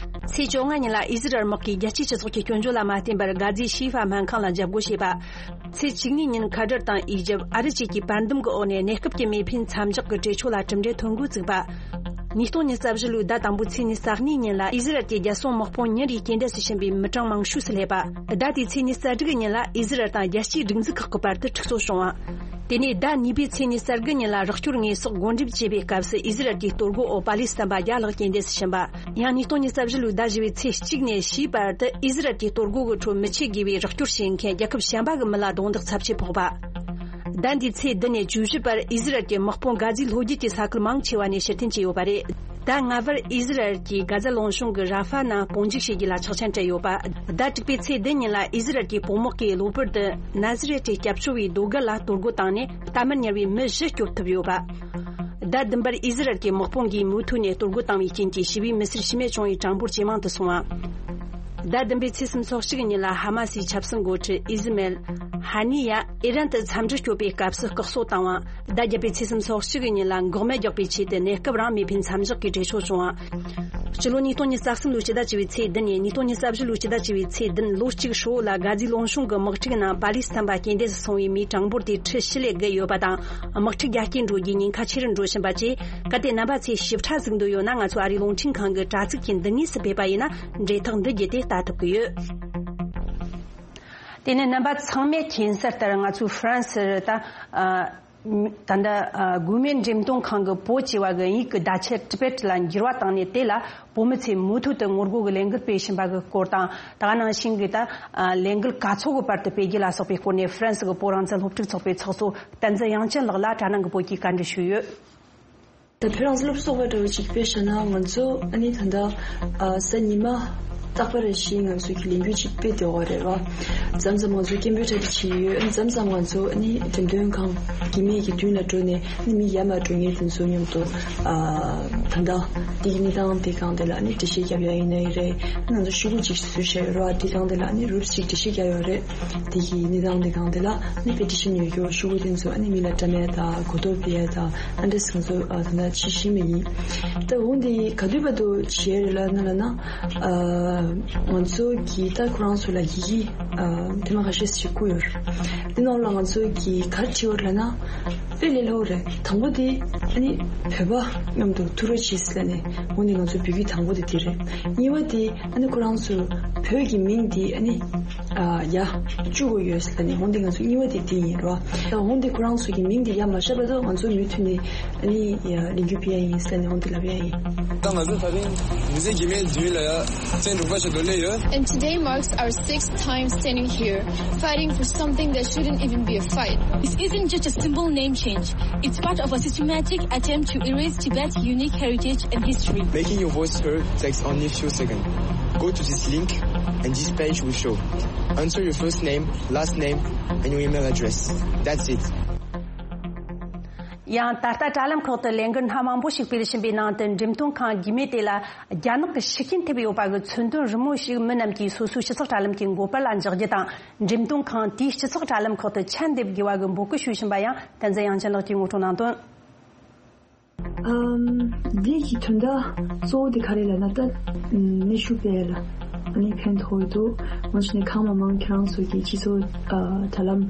ཚེས་བཅོ་ལྔ་ཉིན་ལ་ཨི་ཟི་རལ་དམག་གིས་རྒྱལ་སྤྱིའི་སྤྱི་ཚོགས་ཀྱི་སྐྱོན་བརྗོད་ལ་མ་བརྟེན་པར་གྷ་ཛའི་ཤི་ཧྥ་སྨན་ཁང་ལ་འཇབ་རྒོལ་བྱས་པ། ཚེས་བཅུ་གཉིས་ཉིན་ཁ་ཏར་དང་ཨི་ཇིབ། ཨ་རི་བཅས་ཀྱི་པར་འདུམ་གྱི་འོག་ནས་གནས་སྐབས་ཀྱི་མེ་འཕེན་མཚམས་འཇོག་གི་གྲོས་ཆོད་ལ་གྲུབ་འབྲས་ཐོན་འགོ་བཙུགས་པ། ཉིས་སྟོང་ཉི་ཤུ་རྩ་བཞི་ལོའི་ཟླ་དང་པོའི་ཚེས་ཉི་ཤུ་རྩ་གཉིས་ཉིན་ལ་ཨི་ཟི་རལ་གྱི་རྒྱལ་སྲུང་དམག་དཔུང་ཉིན་རེའི་རྐྱེན་འདས་སུ་ཕྱིན་པའི་མི་གྲངས་མང་ཤོས་སུ་སླེབས་པ། ཟླ་དེའི་ཚེས་ཉི་ཤུ་རྩ་དྲུག་ཉིན་ལ་ཨི་ཟི་རལ་དང་རྒྱལ་སྤྱིའི་སྒྲིག་འཛུགས་ཁག་གི་བར་དུ་འཁྲུག་རྩོད་བྱུང་བ། དེ་ནས་ཟླ་གཉིས་པའི་ཚེས་ཉི་ཤུ་རྩ་དགུ་ཉིན་ལ་རོགས་སྐྱོར་དངོས་ཟོག་བགོ་འགྲེམས་བྱས་པའི་སྐབས་སུ་ཨི་ཟི་རལ་གྱི་གཏོར་རྒོལ་འོག་པ་ལི་སི་ཐན་པ་བརྒྱ་ལྷག་རྐྱེན་འདས་སུ་ཕྱིན་པ། ཡང་ཉིས་སྟོང་ཉི་ཤུ་རྩ་བཞི་ལོའི་ཟླ་བཞི་པའི་ཚེས་གཅིག་ནས་བཞིའི་བར་དུ་ཨི་ཟི་རལ་གྱི་གཏོར་རྒོལ་གྱི་ཁྲོད་མི་ཆེད་དགོས་པའི་རོགས་སྐྱོར་བྱེད་མཁན་རྒྱལ་ཁབ་གཞན་པ་གི་མི་ལ་རྡུང་རྡེག་ཚབས་ཆེ་ཕོག་པ། ཟླ་འདིའི་ཚེས་བདུན་ནས་བཅུ་བཞི་བར་ཨི་ཟི་རལ་གྱི་དམག་དཔུང་གྷ་ཛའི་ལྷོ་རྒྱུད་ཀྱི་ས་ཁུལ་མང་ཆེ་བ་ནས་ཕྱིར་འཐེན་བྱས་ཡོད་པ་རེད། ཟླ་ལྔ་བར་ཨི་ཟི་རལ་གྱིས་གྷ་ཛ་ལུང་གཤོང་གི་ར་ཧྥ་ནང་དཔུང་འཇུག་བྱེད་རྒྱུ་ལ་ཆོག་མཆན་སྤྲད་ཡོད་པ། ཟླ་དྲུག་པའི་ཚེས་བདུན་ཉིན་ལ་ཨི་ཟི་རལ་གྱི་དཔུང་དམག་གིས་གློ་བུར་དུ་ན་ཟི་རེད་ཀྱི་སྐྱབས་བཅོལ་བའི་རྡོ་སྒར་ལ་གཏོར་རྒོལ་བཏང་ནས། གཏའ་མར་ཉར་བའི་མི་བཞི་སྐྱོབ་ཐུབ་ཡོད་པ། ཟླ་བདུན་པར་ཨི་ཟི་རལ་གྱི་དམག་དཔུང་གིས་མུ་མཐུད་ནས་གཏོར་རྒོལ་བཏང་བའི་རྐྱེན་གྱིས་ཞི་བའི་མི་སེར་ཤི་རྨས་བྱུང་བའི་གྲངས་འབོར་ཇེ་མང་དུ་སོང་བ། ཟླ་བདུན་པའི་ཚེས་སུམ་ཅུ་སོ་གཅིག་ཉིན་ལ་ཧ་མ་སིའི་ཆབ་སྲིད་འགོ་ཁྲིད་ཨི་ཟི་མེལ་ཧ་ནི་ཡ་ཨི་རན་དུ་འཚམས་འདྲི་སྐྱོབ་པའི་སྐབས་སུ་བཀག་སྲོལ་བཏང་བ། ཟླ་བརྒྱད་པའི་ཚེས་སུམ་ཅུ་སོ་གཅིག་ཉིན་ལ་འགོག་སྨན་རྒྱག་པའི་ཆེད་དུ་གནས་སྐབས་རང་མེ་འཕེན་མཚམས་འཇོག་གི་གྲོས་ཆོད་བྱུང་བ། སྤྱི་ལོ་ཉིས་སྟོང་ཉི་ཤུ་རྩ་གསུམ་ལོའི་སྤྱི་ཟླ་བཅུ་པའི་ཚེས་བདུན་ནས་ཉིས་སྟོང་ཉི་ཤུ་རྩ་བཞི་ལོའི་སྤྱི་ཟླ་བཅུ་པའི་ཚེས་བདུན། ལོ་གཅིག་ཧྲིལ་བོ་ལ་གྷ་ཛའི་ལུང་གཤོང་གི་དམག་འཁྲུག་ནང་པ་ལི་སི་ཐན་པ་རྐྱེན་འདས་སུ་སོང་བའི་མིའི་གྲངས་འབོར་དེ་ཁྲི་བཞི་ལས་བརྒལ་ཡོད་པ་དང་། དམག་འཁྲུག་རྒྱ་སྐྱེད་འགྲོ་རྒྱུའི་ཉེན་ཁ་ཆེ་རུ་འགྲོ་བཞིན་པ་བཅས། གལ་ཏེ་རྣམ་པ་ཚོས་ཞིབ་ཕྲ་གཟིགས་འདོད་ཡོད་ན། ང་ཚོ་ཨ་རིའི་རླུང་འཕྲིན་ཁང་གི་དྲ་ཚིགས་ཀྱི་འདི་ངོས་སུ་ཕེབས་པ་ཡིན་ན་འབྲེལ་ཐག་འདི་བརྒྱུད་དེ་ལྟ་ཐུབ་ཀྱི་ཡོད། དེ་ནས་རྣམ་པ་ཚང་མས་མཁྱེན་གསལ་ལྟར། ང་ཚོའི་ཧྥ་རན་སིར་ད་ཨ་ད་ལྟ་ཨ་གུ་མེ་འགྲེམས་སྟོན་ཁང་གི་པོ་ཅེས་པ་གི་དབྱིན་ཡིག་གི་བརྡ་ཆད་ཊི་བེཊ་ལ་འགྱུར་བ་བཏང་ནས། དེ་ལ་བོད་མི་ཚོས་མུ་མཐུད་དུ་ངོ་རྒོལ་གྱི་ལས་འགུལ་སྤེལ་བཞིན་པ་གི་སྐོར་དང་། ད་ག་ནང་བཞིན་གྱི་ད་ཨ་ལས་འགུལ་ག་ཚོད་ཀྱི་བར་དུ་སྤེལ་རྒྱུ་ལ་སོགས་པའི་སྐོར་ནས། ཧྥ་རན་སི་གི་བོད་རང་བཙན་སློབ་ཕྲུག་ཚོགས་པའི་ཚོགས་གཙོ་བསྟན་འཛིན་དབྱངས་ཅན་ལགས་ལ་དྲ་སྣང་གི་བོད་སྐད་བཀའ་འདྲི་ཞུས་ཡོད། ད་བོད་རང་བཙན་སློབ་ཕྲུག་ཚོགས་པ་འདྲ་བོ་ཅིག་དཔེ་བཞག་ན། ང་ཚོ་ཨ་ནི་ད་ལྟ་ཨ་གཟའ་ཉི་མ་རྟག་པ་རེ་བཞིན་ང་ཚོ་གི་ལས་འགུལ་ཅིག་སྤེལ་བསྡད་ཡོད་རེད་བ། མཚམས་མཚམས་ང་ཚོ་སྐད་འབོད་གྲ་སྒྲིག་བྱེད་ཀྱི་ཡོད། ཨ་ནི་མཚམས་མཚམས་ང་ཚོ་ཨ་ནི་འགྲེམས་སྟོན་ཁང་གི་མིག་གི་མདུན་ལ་འགྲོ་ནས། ཨ་ནི་མི་ཡར་མར་འགྲོ་མཁན་དེ་ཚོ་མཉམ་དུ་ཨ་ད་ལྟ་དེ་གི་གནས་སྟངས་དེ་སྒང་དེ་ལ་ཨ་ནི་འགྲེལ་བཤད་རྒྱབ་ཡ་ཡིན་ནའི་རེད། ཨ་ནི་ང་ཚོ་ཤོག་གུ་ཅིག་བཟོས་བཞག་ཡོད་རེད་བ། དེ་སྒང་དེ་ལ་ཨ་ནི་རུབ་ཅིག་འགྲེལ་བཤད་རྒྱབ་ཡོད་རེད། དེ་གི་གནས་སྟངས་དེ་སྒང་དེ་ལ་ཨ་ནི་པེ་ཊི་ཤན་ཡོད་རྒྱུ། ཤོག་གུ་དེ་ཚོ་ཨ་ནི་མི་ལ་དྲ་མེད་དང་གོ་རྟོགས་སྤེལ་ཡ་དང་། ཨ་འདྲས་ང་ཚོ་ཨ་ད་ལྟ་བྱེད་བཞིན་པ་ཡིན། ད་འོ་འདི་ག་དུས་བར་དུ་བྱེད་ཡ་རེད་ལབ་ན་ལབ་ན། ཨ་ང་ཚོ་གི་ད་ཁོ་རང་ཚོ་ལ་ཡི་གེ་ཨ་ཐེངས་མ་ཁ་ཤས་ཤིག་བསྐུར་ཡོད་རེད། འདི་ནང་ལ་ང་ཚོ་གི་ག་རེ་བྲིས་ཡོད་རེད་ལབ་ན། དཔེ་ལས་སླ་པོ་རེད། དང་པོ་དེ་ཨ་ནི་བོད་པ་མཉམ་དུ་ཐུག་རོགས་བྱེད་ཟེར་ནས། འོ་འདི་ང་ཚོ་འབོད་སྐུལ་དང་པོ་དེ་དེ་རེད། གཉིས་པ་དེ་ཨ་ནི་ཁོ་རང་ཚོ་བོད་ཀྱི་མིང་དེ་ཨ་ནི་ཨ་ཡར་བཅུག་དགོས་ཡོད་ཟེར་ནས། འོ་འདི་ང་ཚོ་གཉིས་པ་དེ་དེ་ཡིན་རོ། ད་འོ་འདི་ཁོ་རང་ཚོ་གི་མིང་དེ་ཡར་མ་བཞག་བར་དུ་ང་ཚོ་མུ་མཐུད་ནས་ཨ་ནི་ཡར་ལས་འགུལ་སྤེལ་ཡ་ཡིན་ཟེར་ནས་འོ་འདི་ལབ་ཡ་ཡིན། ད་ང་ཚོ་ད་རིང་མི་སེར་གྱི་མིང་འདི་ལ་ཡ་བཙན་དྲུག་པ་ཞིག་འདོན་ལེ་ཡོད། And today marks our sixth time standing here, fighting for something that shouldn't even be a fight. This isn't just a simple name change. It's part of a systematic attempt to erase Tibet's unique heritage and history. Making your voice heard takes only a few seconds. Go to this link and this page will show. Enter your first name, last name, and your email address. That's it. ཡང་ད་ལྟ་དྲ་ལམ་ཁག་ཏུ་ལས་འགུལ་སྣ་མང་པོ་ཞིག་སྤེལ་བཞིན་པའི་ནང་དུ། འགྲེམས་སྟོན་ཁང་གི་མེ་དེ་ལ་རྒྱ་ནག་གི་ཤུགས་རྐྱེན་ཐེབས་ཡོད་པ་གི་མཚོན་དོན་རི་མོ་ཞིག་མི་རྣམས་ཀྱིས་སོ་སོའི་སྤྱི་ཚོགས་དྲ་ལམ་གྱི་མགོ་པར་ལ་འཇོག་རྒྱུ་དང་། འགྲེམས་སྟོན་ཁང་དེའི་སྤྱི་ཚོགས་དྲ་ལམ་ཁག་ཏུ་ཆ་འདེབས་དགོས་པ་གི་འབོད་སྐུལ་ཞུ་བཞིན་པ་ཡང་བསྟན་འཛིན་དབྱངས་ཅན་ལགས་ཀྱིས་ངོ་སྤྲོད་གནང་དོན། ཨམ། འདི་གི་དོན་དག་གཙོ་བོ་དེ་ག་རེ་ལབ་ན། ད་གནོན་ཤུགས་སྤེལ་ལ་ཨ་ནི་ཕན་ཐོགས་འདུག། ང་ཚོ་ནས་གང་མང་མང་ཁྱེད་རང་ཚོ་གི་སྤྱི་ཚོགས་ཨ་དྲ་ལམ་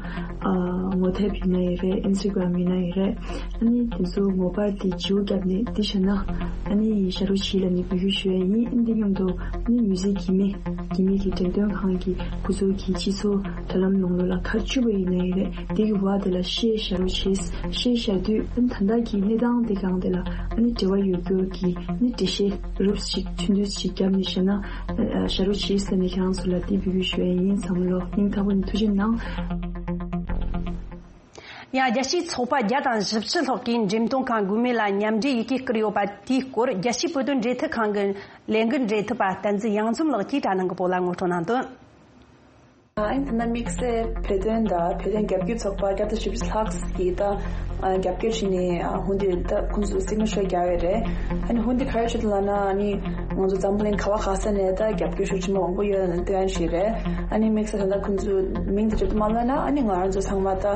ཨ་ངོ་དེབ་ཡིན་ན་ཡིན་རེད། ཨིན་སི་ཊ་གྷི་རམ་ཡིན་ན་ཡིན་རེད། ཨ་ནི་དེ་ཚོ་མགོ་པར་དེ་བརྗེ་པོ་བརྒྱབ་ནས་འདི་བྱས་ན་ཨ་ནི་ཤ་རུ་ཆི་ལ་ནི་འབོད་སྐུལ་ཞུ་ཡ་ཡིན། ཨ་ནི་འདི་མཉམ་དུ་ཨ་ནི་མི་སེར་གྱི་མེ་གི་མེ་གི་འགྲེམས་སྟོན་ཁང་གི་ཁོ་ཚོ་གི་སྤྱི་ཚོགས་དྲ་ལམ་ནང་ལོགས་ལ་ག་རེ་བཅུག་པ་ཡིན་ན་ཡིན་རེད། འདི་གི་བར་དེ་ལ་བཤད་བྱ་རོགས་བྱེད། བཤད་བྱ་དུས་ཨ་ནི་ད་ལྟ་གི་གནས་སྟངས་དེ་སྒང་དེ་ལ་ཨ་ནི་འབྲེལ་བ་ཡོད་རྒྱུ་གི་ཨ་ནི་འགྲེལ་བཤད་རོབ་ཅིག་ཐུང་ཐུང་ཅིག་བརྒྱབ་ནས་བཤད་ན། ཨ་བྱ་རོགས་བྱེད་ཟེར་ནས་ཁྱེད་རང་ཚོ་ལ་འདི་འབོད་སྐུལ་ཞུ་ཡ་ཡིན། ཚང་མ་ལོ་སྙིང་ཐག་པ་ནས་ཐུགས་རྗེ་གནང་། ཡང་རྒྱལ་སྤྱིའི་ཚོགས་པ་བརྒྱ་དང་བཞི་བཅུ་ལྷག་གིས་འགྲེམས་སྟོན་ཁང་གུ་མེ་ལ་མཉམ་འབྲེལ་ཡི་གེ་བསྐུར་ཡོད་པ་དེའི་སྐོར། རྒྱལ་སྤྱིའི་བོད་དོན་འབྲེལ་མཐུད་ཁང་གི་ལས་འགུལ་འབྲེལ་མཐུད་པ་བསྟན་འཛིན་གཡང་འཛོམས་ལགས་ཀྱིས་དྲ་ནང་གི་བོད་ལ་ངོ་སྤྲོད་གནང་དོན། ཨ་ནི་ད་ལྟ་དམིགས་བསལ་བོད་དོན་དང་བོད་དོན་རྒྱབ་སྐྱོར་ཚོགས་པ་བརྒྱ་དང་བཞི་བཅུ་ལྷག་གིས་ད་ཨ་རྒྱབ་སྐྱོར་བྱས་ནས། ཨ་ཧུན་དེ་ད་ཁོང་ཚོས་སིག་ནེ་ཅར་རྒྱག་ཡོད་རེད། ཨ་ནི་ཧུན་དེ་ག་རེ་བྱེད་འདུག་ལབ་ན། ཨ་ནི་ང་ཚོ་འཛམ་བུ་གླིང་ག་བ་ག་ས་ནས་ད་རྒྱབ་སྐྱོར་ཤུགས་ཆེན་པོ་མང་པོ་ཡོད་ལ་སྟོན་ཡ་ཞིག་རེད། ཨ་ནི་དམིགས་བསལ་ད་ལྟ་ཁོང་ཚོས་མིང་དེ་བརྗོད་དུ་མ་ལབ་ན། ཨ་ནི་ང་རང་ཚོ་ཚང་མ་ད་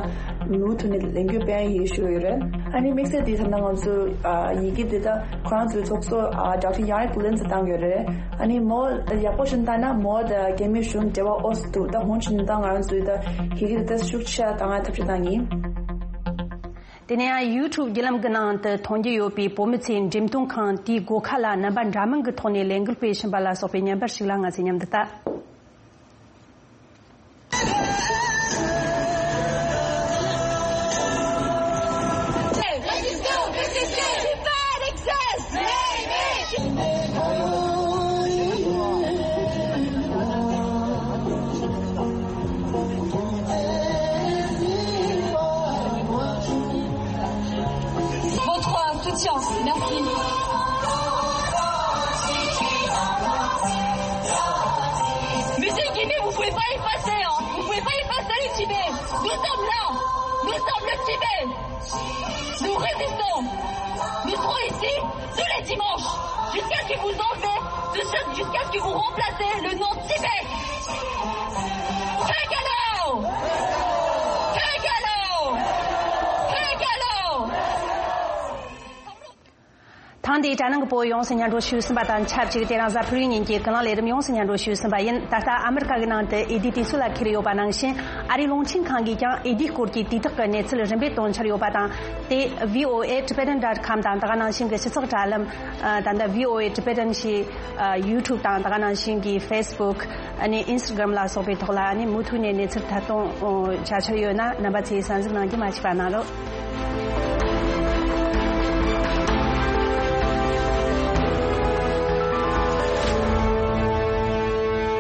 མུ་མཐུད་ནས་ལས་འགུལ་སྤེལ་ཡ་ཡིན་ཞུ་ཡོད་རེད། ཨ་ནི་དམིགས་བསལ་དེ་ད་ལྟ་ང་ཚོ་ཨ་ཡི་གེ་དེ་ད་ཁོ་རང་ཚོའི་ཚོགས་གཙོ་ཨ་ཌོག་ཊར་ཡང་རིག་ལིན་ཙི་བཏང་ཡོད་རེད། ཨ་ནི་མོ་ད་ཡག་པོ་ཞིག་བལྟས་ན་མོ་ད་རྒྱ་མི་གཞུང་འབྲེལ་བ་ཨོ་སི་འདུག། ད་ཧོན་ཆིན་ད་ང་རང་ཚོའི་ད་ཡི་གེ་དེ་ད་ཤུགས་ཆེ་བཏང་ཡ་ཐབས་ཤེས་བཏང་ཡིན། དེ་ནས་ཡང་ཡུ་ཊུབ་བརྒྱུད་ལམ་གྱི་ནང་དུ་མཐོང་རྒྱུ་ཡོད་པའི་བོད་མི་ཚོས་འགྲེམས་སྟོན་ཁང་དེའི་སྒོ་ཁ་ལ་རྣམ་པ་འདྲ་མིན་གྱི་ཐོག་ནས་ལས་འགུལ་སྤེལ་བཞིན་པ་ལ་སོགས་པའི་བརྙན་པར་ཞིག་ལ་ང་ཚོས་མཉམ་དུ་ལྟ། Votre soutien. Merci. Monsieur Guimé, vous pouvez pas effacer, hein. Vous pouvez pas effacer le Tibet. Nous sommes là. Nous sommes le Tibet. Nous résistons. Nous serons ici tous les dimanches. Jusqu'à ce que vous enlevez, jusqu'à ce que vous remplacez le nom Tibet. Fegalo! Fegalo! Fegalo! འདི་དྲ་ནང་གི་བོད་ཡོངས་སུ་སྙན་སྒྲོན་ཞུས་ཟིན་པ་དང་ཆབས་ཅིག་དེ་རིང་གཟའ་ཕུར་བུའི་ཉིན་གྱི་ཀུན་གླེང་ལས་རིམ་ཡོངས་སུ་སྙན་སྒྲོན་ཞུས་ཟིན་པ་ཡིན། ད་ལྟ་ཨ་མི་རི་ཀ་གི་ནང་དུ་ཨེ་ཌི་དུས་ཚོད་ལ་འཁེལ་ཡོད་པ་ནང་བཞིན། ཨ་རིའི་རླུང་འཕྲིན་ཁང་གིས་ཀྱང་ཨེ་ཌིའི་སྐོར་གྱི་དུས་ཐོག་གི་གནས་ཚུལ་རིམ་པས་སྟོན་འཆར་ཡོད་པ་དང་། དེ་V O A Tibetan dot com དང་དེ་ག་ནང་བཞིན་གྱི་སྤྱི་ཚོགས་དྲ་ལམ། ད་ལྟ་V O A Tibetan ཞེས་YouTube དང་དེ་ག་ནང་བཞིན་གྱི་Facebook ཨ་ནི་Instagram ལ་སོགས་པའི་ཐོག་ལ་ཨ་ནི་མུ་མཐུད་ནས་གནས་ཚུལ་ཐད་གཏོང་བྱ་འཆར་ཡོད་ན། རྣམ་པ་ཚོས་གསན་གཟིགས་གནང་རྒྱུ་མ་བཅུག་པ་གནང་རོགས།